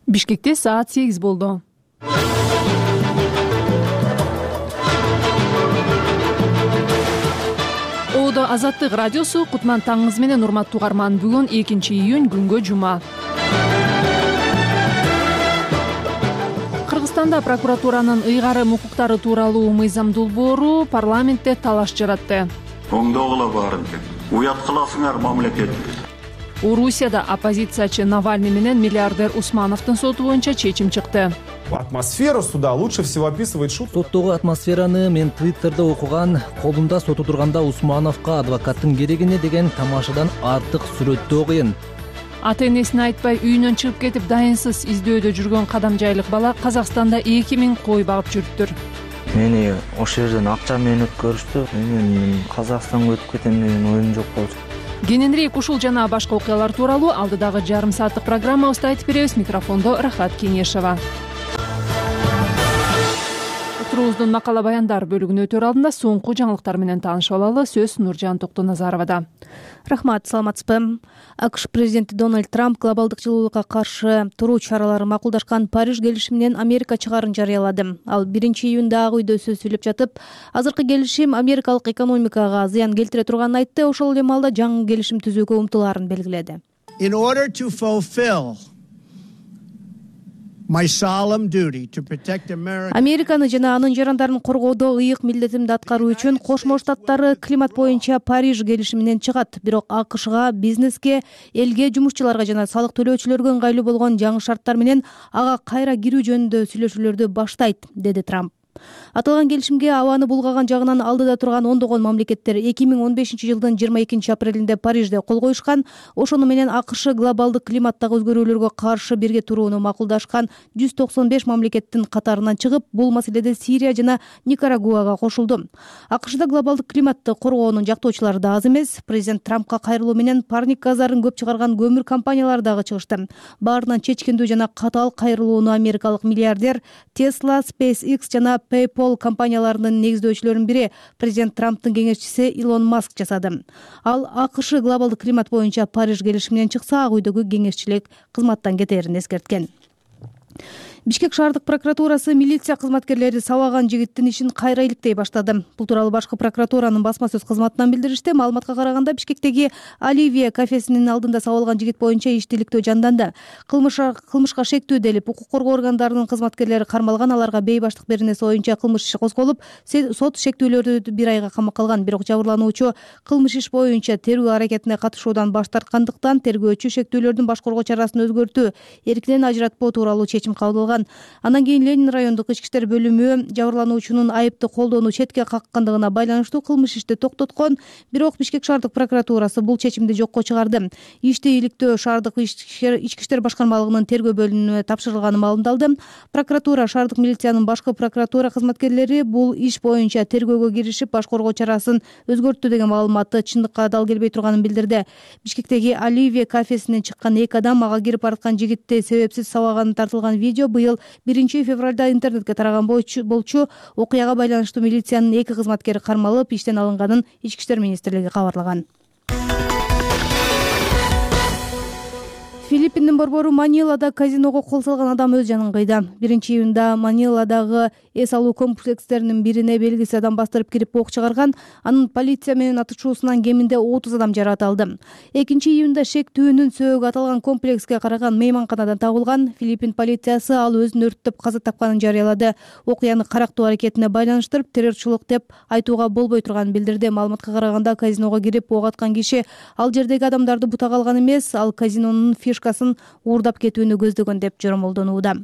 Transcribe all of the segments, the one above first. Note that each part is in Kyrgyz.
Бишкекте саат 8 болду. Оодо Азаттык радиосу Кутман таңыңыз менен урматтуу угарман. Бүгүн 2-июнь күнгө жума. Кыргызстанда прокуратуранын ыйгарым укуктары тууралуу мыйзам долбоору парламентте талаш жаратты. Оңдогула баарын уят кыласыңар мамлекет. Орусияда оппозициячы Навальный менен миллиардер Усмановдун соту боюнча чечим чыкты. Атмосферу суда лучше всего описывает шутка. Соттогу атмосфераны мен Твиттерде окуган. Колунда соту турганда Усмановго адвокаттын керегине деген тамашадан артык сүрөттөө кыйын. Ата-энесине айтпай үйүнөн чыгып кетип дайынсыз издөөдө жүргөн кадамжайлык бала Казакстанда 2000 кой багып жүрүптүр. Мени ошол жерден акча менен өткөрүштү. Мен Казакстанга өтүп кетем деген оюм жок болчу. Кененирээк ушул жана башка окуялар тууралуу алдыдагы жарым сааттык программабызда айтып беребиз. Микрофондо Рахат Кеңешова. Отурубуздун макала баяндар бөлүгүнө өтөр алдында соңку жаңылыктар менен таанышып алалы. Сөз Нуржан Токтоназаровада. Рахмат, саламатсызбы? АКШ президенти Дональд Трамп глобалдык жылуулукка каршы туруу чараларын макулдашкан Париж келишиминен Америка чыгаарын жарыялады. Ал 1-июнда Ак үйдө сөз сүйлөп жатып, азыркы келишим америкалык экономикага зыян келтире турганын айтты. Ошол эле маалда жаңы келишим түзүүгө умтулаарын белгиледи. In order to fulfill my solemn duty to protect America. Американы жана анын жарандарын коргоодо ыйык милдетимди аткаруу үчүн Кошмо Штаттары климат боюнча Париж келишиминен чыгат. Бирок АКШга, бизнеске, элге, жумушчуларга жана салык төлөөчүлөргө ыңгайлуу болгон жаңы шарттар менен ага кайра кирүү жөнүндө сүйлөшүүлөрдү баштайт, деди Трамп. Аталган келишимге абаны булгаган жагынан алдыда турган ондогон мамлекеттер 2015-жылдын 22-апрелинде Парижде кол коюшкан. Ошону менен АКШ глобалдык климаттагы өзгөрүүлөргө каршы бирге турууну макулдашкан 195 мамлекеттин катарынан чыгып, бул маселеде Сирия жана Никарагуага кошулду. АКШда глобалдык климатты коргоонун жактоочулары да аз эмес. Президент Трампка кайрылуу менен парник газдарын көп чыгарган көмүр компаниялары дагы чыгышты. Баарынан чечкиндүү жана катаал кайрылууну америкалык миллиардер Tesla, SpaceX жана PayPal компанияларынын негиздөөчүлөрүнүн бири президент Трамптын кеңешчиси Илон Маск жасады. Ал АКШ глобалдык климат боюнча Париж келишиминен чыкса, Ак үйдөгү кеңешчилик кызматтан кетерин эскерткен. Бишкек шаардык прокуратурасы милиция кызматкерлери сабаган жигиттин ишин кайра иликтей баштады. Бул тууралуу башкы прокуратуранын басма сөз кызматынан билдиришти. Маалыматка караганда, Бишкектеги Оливия кафесинин алдында сабалган жигит боюнча ишти иликтөө жанданды. Кылмышка шектүү делип, укук коргоо органдарынын кызматкерлери кармалган. Аларга бейбаштык беренеси боюнча кылмыш иши козголуп, сот шектүүлөрдү 1 айга камакка алган. Бирок жабырлануучу кылмыш иш боюнча тергөө аракетине катышуудан баш тарткандыктан тергөөчү шектүүлөрдүн баш коргоо чарасын өзгөртүү, эркинен ажыратпоо тууралуу чечим кабыл алган. Андан кийин Ленин райондук ички иштер бөлүмү жабырлануучунун айыпты колдоону четке каккандыгына байланыштуу кылмыш ишти токтоткон. Бирок Бишкек шаардык прокуратурасы бул чечимди жокко чыгарды. Ишти иликтөө шаардык ички иштер башкармалыгынын тергөө бөлүмүнө тапшырылганы маалымдалды. Прокуратура, шаардык милициянын башкы прокуратура кызматкерлери бул иш боюнча тергөөгө киришип, баш коргоо чарасын өзгөрттү деген маалыматты чындыкка дал келбей турганын билдирди. Бишкектеги Оливия кафесинен чыккан 2 адам ага кирип бараткан жигитти себепсиз сабаганы тартылган видео быйыл 1-февралда интернетке тараган болчу. Окуяга байланыштуу милициянын 2 кызматкери кармалып, иштен алынганын Ички иштер министрлиги кабарлаган. Филиппиндин борбору Манилада казиного кол салган адам өз жанын кыйды. 1-июнда Маниладагы эс алуу комплекстеринин бирине белгисиз адам бастырып кирип ок чыгарган. Анын полиция менен атышуусунан кеминде 30 адам жаракат алды. 2-июнда шектүүнүн сөөгү аталган комплекске караган мейманканадан табылган. Филиппин полициясы ал өзүн өрттөп каза тапканын жарыялады. Окуяны карактуу аракетине байланыштырып, террорчулук деп айтууга болбой турганын билдирди. Маалыматка караганда, казиного кирип ок аткан киши ал жердеги адамдарды бутак алган эмес, ал казинонун фишкасын уурдап кетүүнү көздөгөн деп жоромолдонууда.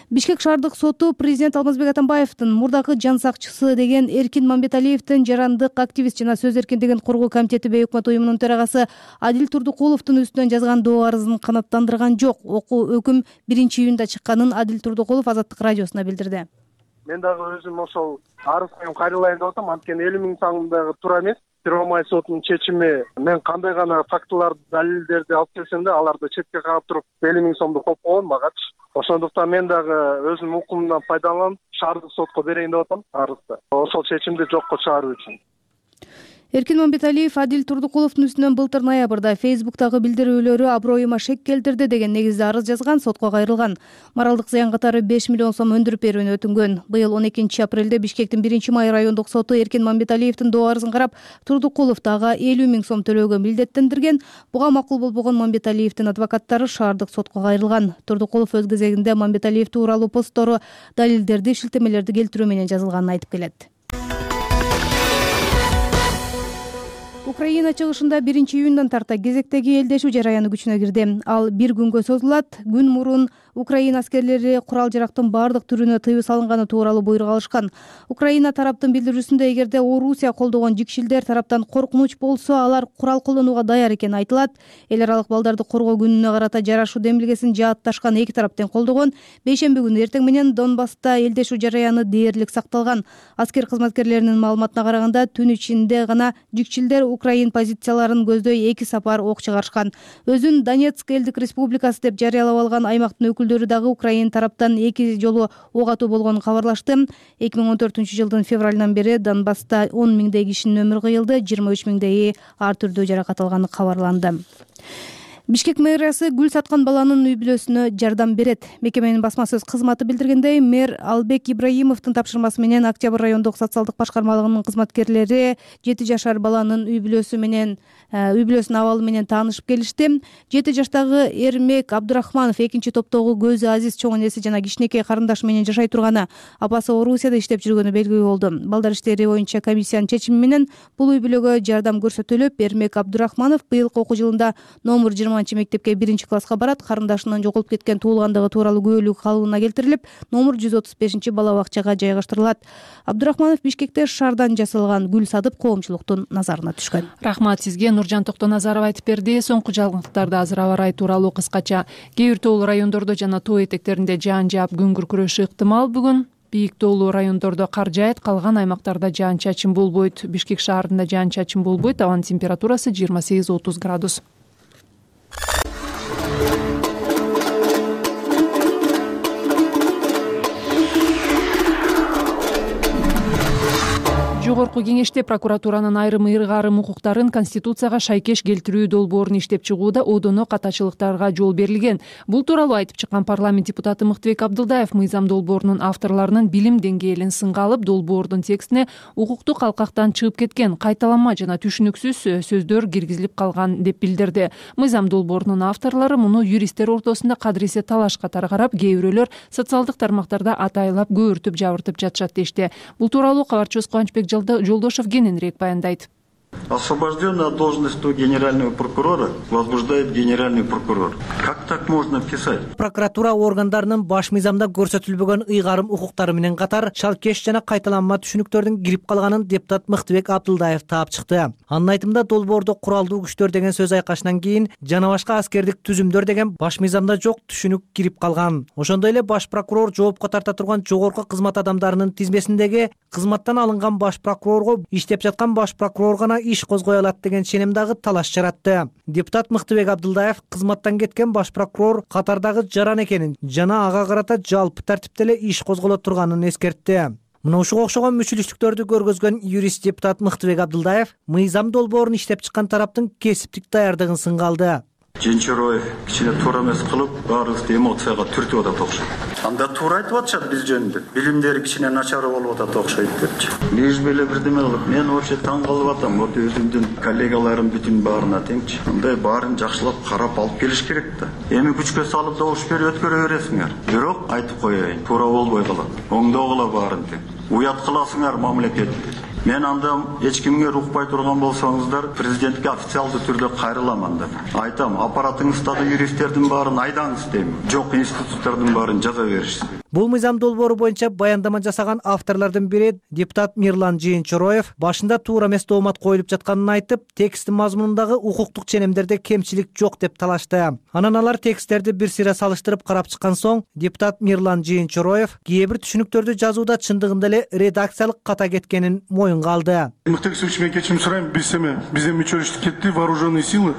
Бишкек шаардык соту президент Алмазбек Атамбаевдин мурдагы жан сакчысы деген Эркин Мамбеталиевдин жарандык активист жана сөз эркиндигин коргоо комитети бейөкмөт уюмунун төрагасы Адил Турдукуловдун үстүнөн жазган доо арызын канааттандырган жок. Өкүм 1-июнда чыкканын Адил Турдукулов Азаттык радиосуна билдирди. Мен дагы өзүм ошол арызга кайрылайын деп атам. Анткени элимин саңындагы туура эмес. Первомай сотунун чечими, мен кандай гана фактыларды, далилдерди алып келсем да, аларды четке кагып туруп 50 000 сомду копкогон магачы. Ошондуктан мен дагы өзүмдүн укумумдан пайдаланып, шаардык сотко берейин деп атам арызды. Ошол чечимди жокко чыгаруу үчүн. Эркин Мамбеталиев Адил Турдукуловдун үстүнөн былтыр ноябрда Facebook'тагы билдирүүлөрү аброюма шек келтирди деген негизде арыз жазган, сотко кайрылган. Моралдык зыян катары 5 миллион сом өндүрүп берүүнү өтүнгөн. Быйыл 12 апрелде Бишкектин 1-май райондук соту Эркин Мамбеталиевдин доо арызын карап, Турдукуловду ага 50 000 сом төлөөгө милдеттендирген. Буга макул болбогон Мамбеталиевдин адвокаттары шаардык сотко кайрылган. Турдукулов өз кезегинде Мамбеталиев тууралуу посттору, далилдерди, шилтемелерди келтирүү менен жазылганын айтып келет. Украина чыгышында 1-июндан тарта кезектеги элдешүү жараяны күчүнө кирди. Ал 1 күнгө созулат. Күн мурун Украина аскерлери курал-жарактын бардык түрүнө тыюу салынганы тууралуу буйрук алышкан. Украина тараптын билдирүүсүндө эгерде Орусия колдогон жикшилдер тараптан коркунуч болсо, алар курал колдонууга даяр экени айтылат. Эл аралык балдарды коргоо күнүнө карата жарашуу демилгесин жаатташкан эки тарап тең колдогон. Бейшемби күнү эртең менен Донбасста элдешүү жараяны дээрлик сакталган. Аскер кызматкерлеринин маалыматына караганда, түн ичинде гана жикшилдер Украин позицияларын көздөй 2 сапар ок чыгарышкан. Өзүн Донецк элдик республикасы деп жарыялап алган аймактын өкүлдөрү дагы Украин тараптан 2 жолу ок атуу болгонун кабарлашты. 2014-жылдын февралынан бери Донбасста 10 миңдей кишинин өмүрү кыйылды, 23 миңдейи ар түрдүү жаракат алганы кабарланды. Бишкек мэриясы гүл саткан баланын үй бүлөсүнө жардам берет. Мекеменин басма сөз кызматы билдиргендей, мэр Албек Ибраимовдун тапшырмасы менен Октябрь райондук социалдык башкармалыгынын кызматкерлери 7 жашар баланын үй бүлөсүнүн абалы менен таанышып келишти. 7 жаштагы Эрмек Абдурахманов экинчи топтогу көзү азиз чоң энеси жана кичинекей карындашы менен жашай турганы, апасы Орусияда иштеп жүргөнү белгилүү болду. Балдар иштери боюнча комиссиянын чечими менен бул үй бүлөгө жардам көрсөтүлүп, Эрмек Абдурахманов быйылкы окуу жылында номер 20 мектепке 1-класска барат. Карындашынын жоголуп кеткен туулгандыгы тууралуу күбөлүк калыбына келтирилип, номер 135 бала бакчага жайгаштырылат. Абдурахманов Бишкекте шаардан жасалган гүл сатып, коомчулуктун назарына түшкөн. Рахмат сизге. Нуржан Токтоназаров айтып берди. Соңку жаңылыктарды азыр аба ырайы тууралуу кыскача. Кээ бир тоолуу райондордо жана тоо этектеринде жаан жаап күн күркүрөшү ыктымал. Бүгүн бийик тоолуу райондордо кар жаайт, калган аймактарда жаан-чачын болбойт. Бишкек шаарында жаан-чачын болбойт. Абанын температурасы 28-30 градус. Жогорку кеңеште прокуратуранын айрым ыйгарым укуктарын Конституцияга шайкеш келтирүү долбоорун иштеп чыгууда одоно катачылыктарга жол берилген. Бул тууралуу айтып чыккан парламент депутаты Мыктыбек Абдылдаев мыйзам долбоорунун авторлорунун билим деңгээлин сынга алып, долбоордун текстине укуктук алкактан чыгып кеткен, кайталанма жана түшүнүксүз сөздөр киргизилип калган деп билдирди. Мыйзам долбоорунун авторлору муну юристтер ортосунда кадыресе талаш катары карап, кээ бирөөлөр социалдык тармактарда атайлап көөртүп жабыртып жатышат дешти. Бул тууралуу кабарчыбыз Кубанычбек Жолдошев кененирээк баяндайт. Освобожденный от должности генерального прокурора возбуждает генеральный прокурор. Как так можно писать? Прокуратура органдарынын баш мыйзамда көрсөтүлбөгөн ыйгарым укуктары менен катар шалкеш жана кайталанма түшүнүктөрдүн кирип калганын депутат Мыктыбек Абдылдаев таап чыкты. Анын айтымында долбоордо куралдуу күчтөр деген сөз айкашынан кийин жана башка аскердик түзүмдөр деген баш мыйзамда жок түшүнүк кирип калган. Ошондой эле баш прокурор жоопко тарта турган жогорку кызмат адамдарынын тизмесиндеги кызматтан алынган баш прокурорго иштеп жаткан баш прокурор гана иш козгой алат деген ченем дагы талаш жаратты. Депутат Мыктыбек Абдылдаев кызматтан кеткен баш прокурор катардагы жаран экенин жана ага карата жалпы тартипте эле иш козголо турганын эскертти. Мына ушуга окшогон мүчүлүштүктөрдү көргөзгөн юрист депутат Мыктыбек Абдылдаев мыйзам долбоорун иштеп чыккан тараптын кесиптик даярдыгын сынга алды. Женчероев кичине туура эмес кылып, баарыбызды эмоцияга түртүп атат окшойт. Анда туура айтып атышат биз жөнүндө. Билимдери кичине начар болуп атат окшойт депчи. Лишь беле бирдеме кылып, мен вообще таң калып атам. Вот өзүмдүн коллегаларым бүтүн баарына теңчи. Мындай баарын жакшылап карап алып келиш керек да. Эми күчкө салып добуш берип өткөрө бересиңер. Бирок айтып коеюн, туура болбой калат. Оңдогула баарын тең. Уят кыласыңар мамлекетти. Мен анда эч кимге укпай турган болсоңуздар, президентке официалдуу түрдө кайрылам анда. Айтам, аппаратыңыздагы юристтердин баарын айдаңыз дейм. Жок институттардын баарын жаза беришсиз. Бул мыйзам долбоору боюнча баяндама жасаган авторлордун бири депутат Мирлан Жыйынчороев башында туура эмес доомат коюлуп жатканын айтып, тексттин мазмунундагы укуктук ченемдерде кемчилик жок деп талашты. Анан алар тексттерди бир сыйра салыштырып карап чыккан соң, депутат Мирлан Жыйынчороев кээ бир түшүнүктөрдү жазууда чындыгында эле редакциялык ката кеткенин моюнга алды. Мыктыбек Сергеевич, мен кечирим сурайм, бизден мүчөлүштүк кетти, вооруженные силы,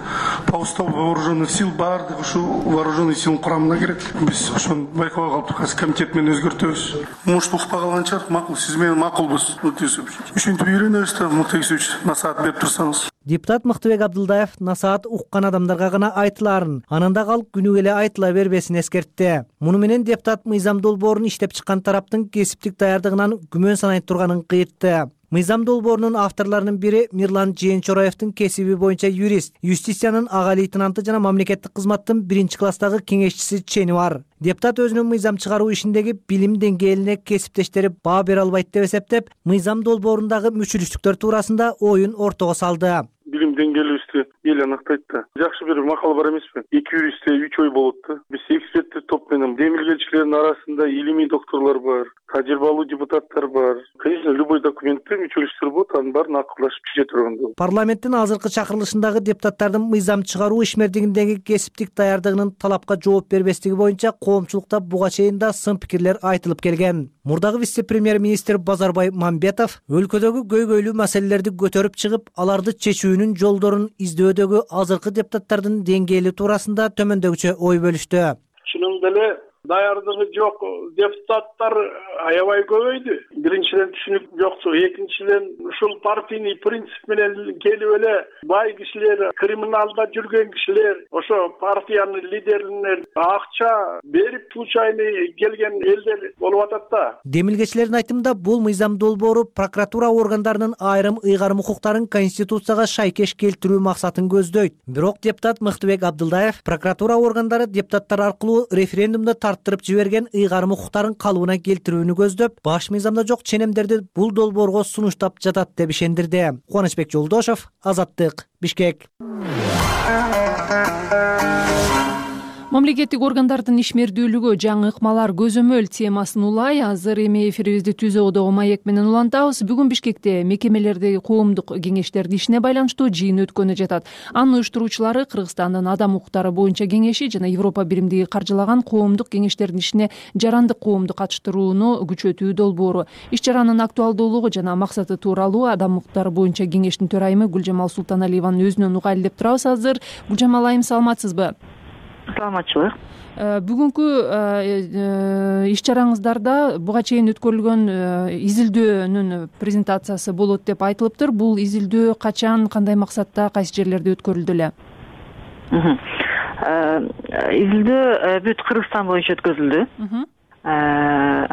по уставу вооруженных сил баардык ушу вооруженный силдин курамына кирет. Биз ошону байкабай калыптык, азыр кетип менен өзгөртөбүз. Может укпай калганча макул, сиз менен макулбуз. Ушинтип үйрөнөбүз да, Муктагисович, насаат берип турсаңыз. Депутат Мыктыбек Абдылдаев насаат уккан адамдарга гана айтыларын, анан да калып күнү келе айтыла бербесин эскертти. Муну менен депутат мыйзам долбоорун иштеп чыккан тараптын кесиптик даярдыгынан күмөн санай турганын кыйтты. Мыйзам долбоорунун авторлорунун бири Мирлан Жээнчороевдин кесиби боюнча юрист, юстициянын ага лейтенанты жана мамлекеттик кызматтын 1-класстагы кеңешчиси чени бар. Депутат өзүнүн мыйзам чыгаруу ишиндеги билим деңгээлине кесиптештери баа бере албайт деп эсептеп, мыйзам долбоорундагы мүчүлүштүктөр туурасында оюн ортого салды. Билим деңгээлибизди эл аныктайт да. Жакшы бир макал бар эмеспи? 2 юристте 3 ой болот да. Биз эксперттик топ менен демилгелчилердин арасында илимий докторлор бар, тажрыйбалуу депутаттар бар. Конечно, любой документте мүчөлүштөр болот, анын баарын акылдашып чече турган. Парламенттин азыркы чакырылышындагы депутаттардын мыйзам чыгаруу ишмердигиндеги кесиптик даярдыгынын талапка жооп бербестиги боюнча коомчулукта буга чейин да сын пикирлер айтылып келген. Мурдагы вице-премьер-министр Базарбай Мамбетов өлкөдөгү көйгөйлүү маселелерди көтөрүп чыгып, аларды чечүүнүн жолдорун издөөдөгү азыркы депутаттардын деңгээли туурасында төмөндөгүчө ой бөлүштү. Чынында эле даярдыгы жок депутаттар аябай көбөйдү. Биринчиден түшүнүк жоксу, экинчиден ушул партийный принцип менен келип эле бай кишилер, криминалда жүргөн кишилер, ошо партиянын лидерине акча берип случайный келген элдер болуп атат да. Демилгечилердин айтымында бул мыйзам долбоору прокуратура органдарынын айрым ыйгарым укуктарын конституцияга шайкеш келтирүү максатын көздөйт. Бирок депутат Мыктыбек Абдылдаев прокуратура органдары депутаттар аркылуу референдумда тарттырып жиберген ыйгарым укуктарын калыбына келтирүүнү көздөп, баш мыйзамда жок ченемдерди бул долбоорго сунуштап жатат деп ишендирди. Кубанычбек Жолдошов, Азаттык, Бишкек. Мамлекеттик органдардын ишмердүүлүгү жаңы ыкмалар көзөмөл темасын улай азыр эми эфирибизди Түз Оодогу маек менен улантабыз. Бүгүн Бишкекте мекемелердеги коомдук кеңештердин ишине байланыштуу жыйын өткөнү жатат. Анын уюштуруучулары Кыргызстандын Адам укуктары боюнча кеңеши жана Европа биримдиги каржылаган коомдук кеңештердин ишине жарандык коомду катыштырууну күчөтүү долбоору. Иш чаранын актуалдуулугу жана максаты тууралуу Адам укуктары боюнча кеңештин төрайымы Гүлжамал Султаналиеванын өзүнөн угайлы деп турабыз азыр. Гүлжамал айым, саламатсызбы? Саламатчылык. Бүгүнкү иш чараңыздарда буга чейин өткөрүлгөн изилдөөнүн презентациясы болот деп айтылыптыр. Бул изилдөө качан, кандай максатта, кайсы жерлерде өткөрүлдү эле? Изилдөө бүт Кыргызстан боюнча өткөрүлдү.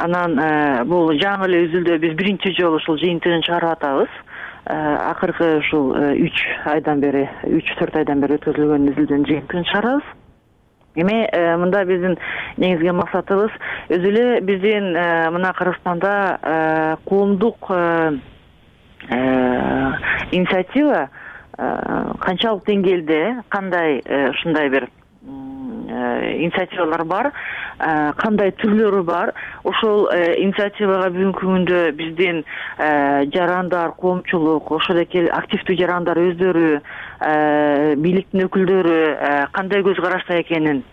Анан бул жаңы эле изилдөө, биз биринчи жолу ушул жыйынтыгын чыгарып атабыз. Акыркы ушул 3-4 айдан бери өткөрүлгөн изилдөөнүн жыйынтыгын чыгарабыз. Эми мында биздин негизги максатыбыз өзү эле биздин мына Кыргызстанда коомдук инициатива канчалык деңгээлде, кандай ушундай бир инициативалар бар, кандай түрлөрү бар. Ошол инициативага бүгүнкү күндө биздин жарандар, коомчулук, ошол эки активдүү жарандар өздөрү, бийликтин өкүлдөрү кандай көз карашта экенин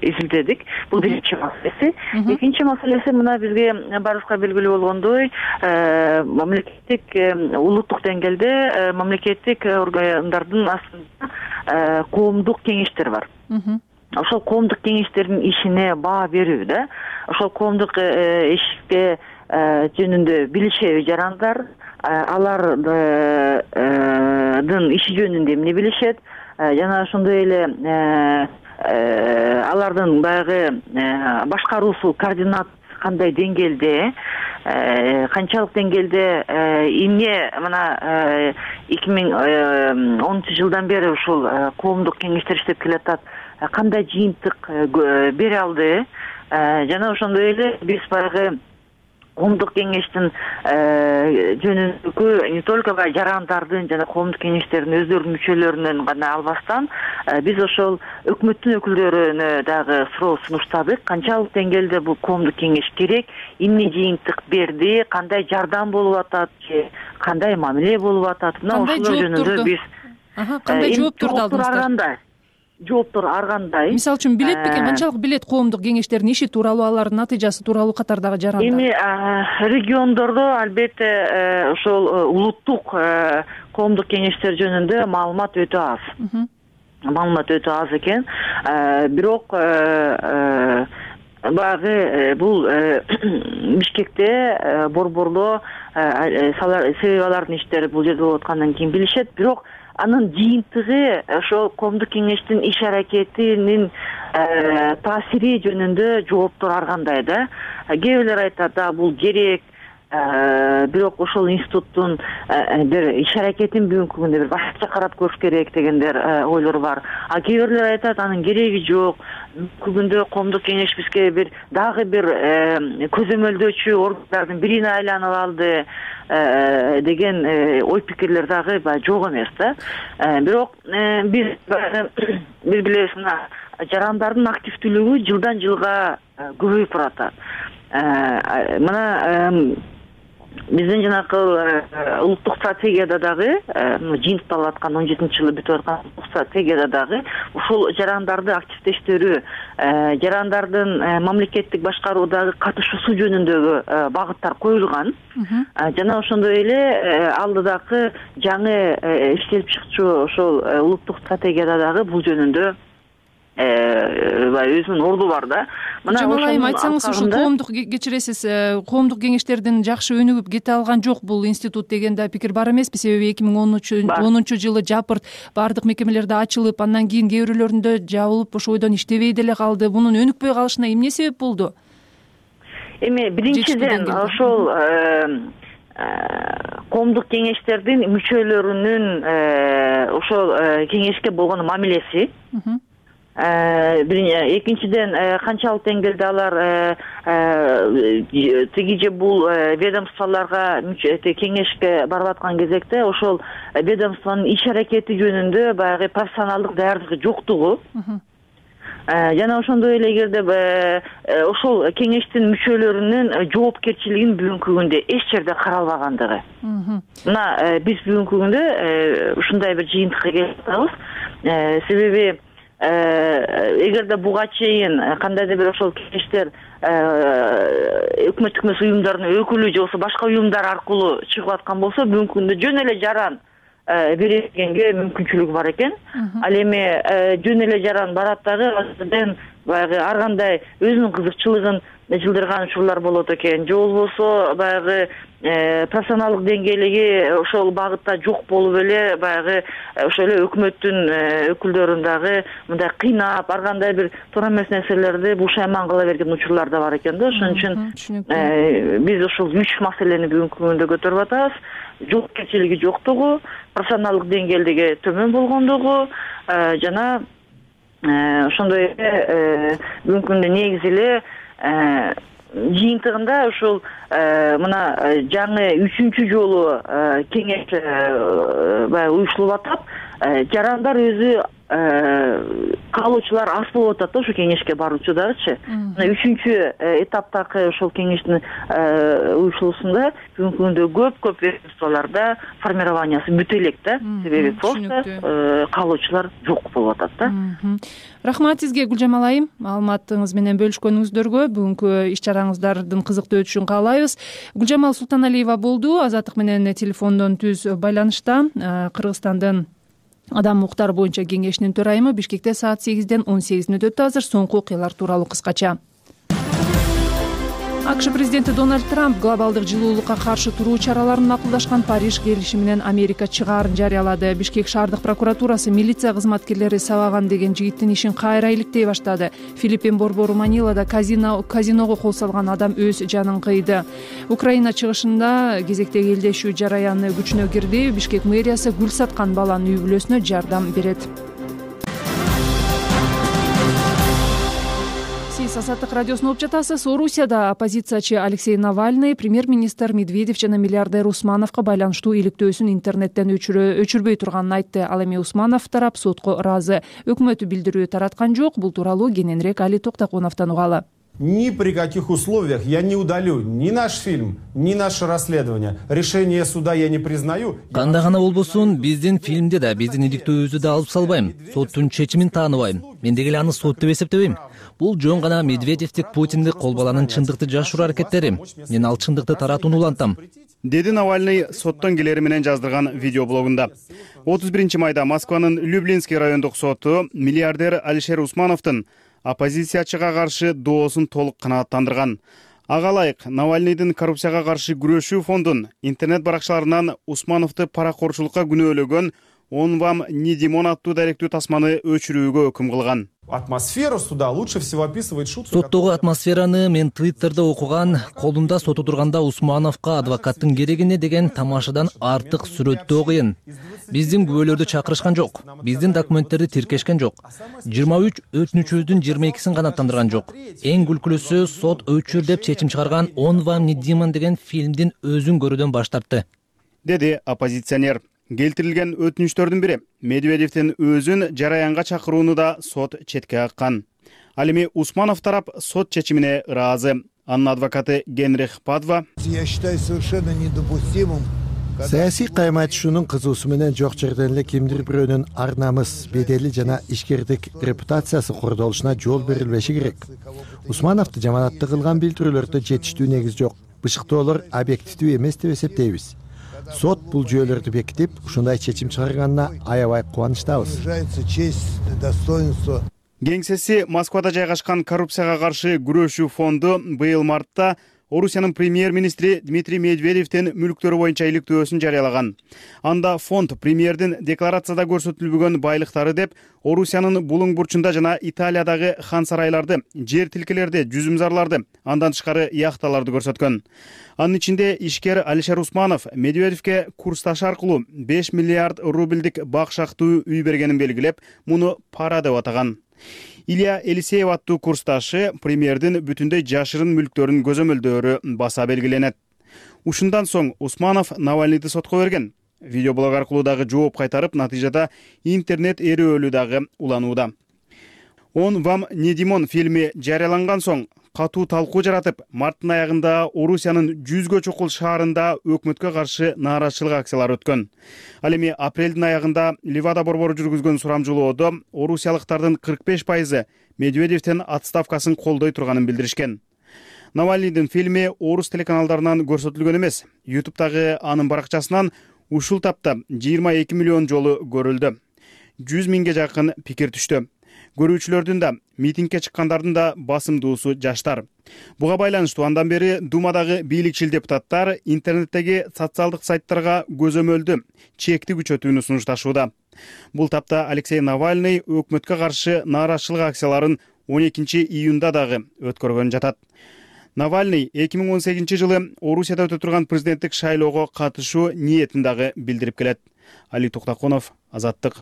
изилдедик. Бул биринчи маселеси. Экинчи маселеси мына бизге баарыбызга белгилүү болгондой, мамлекеттик улуттук деңгээлде мамлекеттик органдардын астында коомдук кеңештер бар. Ошол коомдук кеңештердин ишине баа берүү да. Ошол коомдук ишке жөнүндө билишеби жарандар, алардын иши жөнүндө эмне билишет, жана ошондой эле алардын баягы башкаруусу, координат кандай деңгээлде, канчалык деңгээлде эмне мына 2010 жылдан бери ушул коомдук кеңештер иштеп келатат, кандай жыйынтык бере алды, жана ошондой эле биз баягы коомдук кеңештин жөнүндөгү не только жарандардын жана коомдук кеңештердин өздөрүнүн мүчөлөрүнөн гана албастан, биз ошол өкмөттүн өкүлдөрүнө дагы суроо сунуштадык. Канчалык деңгээлде бул коомдук кеңеш керек, эмне жыйынтык берди, кандай жардам болуп атат, кандай мамиле болуп атат. Мына ошол жөнүндө биз кандай жооптор алдыңыздар? Жооптор ар кандай. Мисалы үчүн билет бекен, канчалык билет коомдук кеңештердин иши тууралуу, алардын натыйжасы тууралуу катардагы жарандар? Эми региондордо албетте ошол улуттук коомдук кеңештер жөнүндө маалымат өтө аз. Маалымат өтө аз экен. Бирок баягы бул Бишкекте борборлоо себеби алардын иштери бул жерде болуп аткандан кийин билишет. Бирок анын жыйынтыгы ошол коомдук кеңештин иш аракетинин таасири жөнүндө жооптор ар кандай да. Кээ бирлер айтат, бул керек, бирок ошол институттун бир иш аракетин бүгүнкү күндө бир башкача карап көрүш керек дегендер ойлор бар. Кээ бирлер айтат, анын кереги жок. Бүгүнкү күндө коомдук кеңеш бизге бир дагы бир көзөмөлдөөчү органдардын бирине айланып алды деген ой пикирлер дагы жок эмес да. Бирок биз билебиз, мына жарандардын активдүүлүгү жылдан жылга көбөйүп баратат. Мына биздин жанакы улуттук стратегияда дагы жыйынтыкталып аткан 17-жылы бүтүп аткан стратегияда дагы ушул жарандарды активдештирүү, жарандардын мамлекеттик башкаруудагы катышуусу жөнүндөгү багыттар коюлган. Жана ошондой эле алдыдагы жаңы иштелип чыкчу ошол улуттук стратегияда дагы бул жөнүндө өзүнүн орду бар да. Мына ошону айтсаңыз, ушул коомдук кечиресиз, коомдук кеңештердин жакшы өнүгүп кете алган жок бул институт деген да пикир бар эмеспи? Себеби 2010-жылы жапырт баардык мекемелерде ачылып, андан кийин кээ бирлөрүндө жабылып, ошо бойдон иштебей деле калды. Бунун өнүкпөй калышына эмне себеп болду? Эми биринчиден ошол коомдук кеңештердин мүчөлөрүнүн ошол кеңешке болгон мамилеси. Экинчиден, канчалык деңгээлде алар тиги же бул ведомстволорго кеңешке барып аткан кезекте ошол ведомствонун иш аракети жөнүндө баягы профессионалдык даярдыгы жоктугу. Жана ошондой эле эгерде ошол кеңештин мүчөлөрүнүн жоопкерчилигин бүгүнкү күндө эч жерде каралбагандыгы. Мына биз бүгүнкү күндө ушундай бир жыйынтыкка келип атабыз. Себеби эгерде буга чейин кандайдыр бир ошол кеңештер өкмөттүк эмес уюмдардын өкүлү же болбосо башка уюмдар аркылуу чыгып аткан болсо, бүгүнкү күндө жөн эле жаран берилгенге мүмкүнчүлүгү бар экен. Ал эми жөн эле жаран барат дагы азырден баягы ар кандай өзүнүн кызыкчылыгын жылдырган учурлар болот экен. Же болбосо баягы профессионалдык деңгээлиги ошол багытта жок болуп эле баягы ошол эле өкмөттүн өкүлдөрүн дагы мындай кыйнап, ар кандай бир туура эмес нерселерди бушайман кыла берген учурлар да бар экен да. Ошон үчүн биз ошол 3 маселени бүгүнкү күндө көтөрүп атабыз. Жоопкерчилиги жоктугу, профессионалдык деңгээлдиги төмөн болгондугу жана ошондой эле бүгүнкү күндө негизи эле жыйынтыгында ушул мына жаңы 3-чү жолу кеңеш баягы уюштурулуп атат. Жарандар өзү каалоочулар аз болуп атат да ошо кеңешке баруучу дагычы. Мына 3-чү этаптагы ошол кеңештин уюштуруусунда бүгүнкү күндө көп ведомстволордо формированиясы бүтө элек да. Себеби просто каалоочулар жок болуп атат да. Рахмат сизге, Гүлжамал айым, маалыматыңыз менен бөлүшкөнүңүздөргө. Бүгүнкү иш чараңыздардын кызыктуу өтүшүн каалайбыз. Гүлжамал Султаналиева болду, Азаттык менен телефондон түз байланышта. Кыргызстандын адам укуктары боюнча кеңешинин төрайымы. Бишкекте саат 8-ден 18 өтүп азыр. Соңку окуялар тууралуу кыскача. АКШ президенти Дональд Трамп глобалдык жылуулукка каршы туруу чараларын макулдашкан Париж келишиминен Америка чыгаарын жарыялады. Бишкек шаардык прокуратурасы милиция кызматкерлери сабаган деген жигиттин ишин кайра иликтей баштады. Филиппин борбору Манилада казиного кол салган адам өз жанын кыйды. Украина чыгышында кезектеги элдешүү жараяны күчүнө кирди. Бишкек мэриясы гүл саткан баланын үй бүлөсүнө жардам берет. Азаттык радиосун угуп жатасыз. Орусияда оппозициячы Алексей Навальный премьер-министр Медведев жана миллиардер Усмановго байланыштуу иликтөөсүн интернеттен өчүрбөй турганын айтты. Ал эми Усманов тарап сотко ыраазы. Өкмөт билдирүү тараткан жок. Бул тууралуу кененирээк Али Токтокуновдон угалы. Ни при каких условиях я не удалю ни наш фильм, ни наше расследование. Решение суда я не признаю. Кандай гана болбосун, биздин фильмди да, биздин иликтөөбүздү да алып салбайм. Соттун чечимин тааныбайм. Мен деги эле аны сот деп эсептебейм. Бул жөн гана Медведевдик, Путиндик кол баланын чындыкты жашыруу аракеттери. Мен ал чындыкты таратууну улантам, деди Навальный соттон келери менен жаздырган видеоблогунда. 31 майда Москванын Люблинский райондук соту миллиардер Алишер Усмановдун оппозициячыга каршы доосун толук канааттандырган. Ага ылайык Навальныйдын коррупцияга каршы күрөшүү фондун интернет баракчаларынан Усмановду паракорчулукка күнөөлөгөн «Он вам не Димон» аттуу даректүү тасманы өчүрүүгө өкүм кылган. Атмосферу суда лучше всего описывает шутка. Соттогу атмосфераны мен Твиттерде окуган, колумда сот отурганда Усмановго адвокаттын керегине деген тамашадан артык сүрөттөө кыйын. Биздин күбөлөрдү чакырышкан жок. Биздин документтерди тиркешкен жок. 23 өтүнүчүбүздүн 22син канааттандырган жок. Эң күлкүлүүсү сот өчүр деп чечим чыгарган «Он вам не Димон» деген фильмдин өзүн көрүүдөн баш тартты, деди оппозиционер. Келтирилген өтүнүчтөрдүн бири Медведевдин өзүн жараянга чакырууну да сот четке каккан. Ал эми Усманов тарап сот чечимине ыраазы. Анын адвокаты Генрих Падва: Я считаю совершенно недопустимым. Саясий кайма айтышуунун кызуусу менен жок жерден эле кимдир бирөөнүн ар намыс, бедели жана ишкердик репутациясы кордолушуна жол берилбеши керек. Усмановду жаманаттуу кылган билдирүүлөрдө жетиштүү негиз жок. Бышыктоолор объективдүү эмес деп эсептейбиз. Сот бул жүйөлөрдү бекитип, ушундай чечим чыгарганына аябай кубанычтабыз. Кеңсеси Москвада жайгашкан коррупцияга каршы күрөшүү фонду быйыл мартта Орусиянын премьер-министри Дмитрий Медведевдин мүлктөрү боюнча иликтөөсүн жарыялаган. Анда фонд премьердин декларацияда көрсөтүлбөгөн байлыктары деп Орусиянын булуң бурчунда жана Италиядагы хан сарайларды, жер тилкелерди, жүзүмзарларды, андан тышкары яхталарды көрсөткөн. Анын ичинде ишкер Алишер Усманов Медведевге курсташ аркылуу 5 миллиард рубльдик бакшактуу үй бергенин белгилеп, муну пара деп атаган. Илья Елисеев аттуу курсташы премьердин бүтүндөй жашырын мүлктөрүн көзөмөлдөөрү баса белгиленет. Ушундан соң Усманов Навальныйды сотко берген. Видеоблог аркылуу дагы жооп кайтарып, натыйжада интернет эрөөлү дагы уланууда. «Он вам не Димон» фильми жарыяланган соң катуу талкуу жаратып, марттын аягында Орусиянын 100гө чукул шаарында өкмөткө каршы нааразычылык акциялары өткөн. Ал эми апрелдин аягында Ливада борбору жүргүзгөн сурамжылоодо орусиялыктардын 45% Медведевдин отставкасын колдой турганын билдиришкен. Навальныйдын фильми орус телеканалдарынан көрсөтүлгөн эмес. YouTube'дагы анын баракчасынан ушул тапта 22 миллион жолу көрүлдү. 100 миңге жакын пикир түштү. Көрүүчүлөрдүн да, митингге чыккандардын да басымдуусу жаштар. Буга байланыштуу андан бери Думадагы бийликчил депутаттар интернеттеги социалдык сайттарга көзөмөлдү чекти күчөтүүнү сунушташууда. Бул тапта Алексей Навальный өкмөткө каршы нааразычылык акцияларын 12 июнда дагы өткөргөн жатат. Навальный 2018 жылы Орусияда өтө турган президенттик шайлоого катышуу ниетин дагы билдирип келет. Али Токтаконов, Азаттык.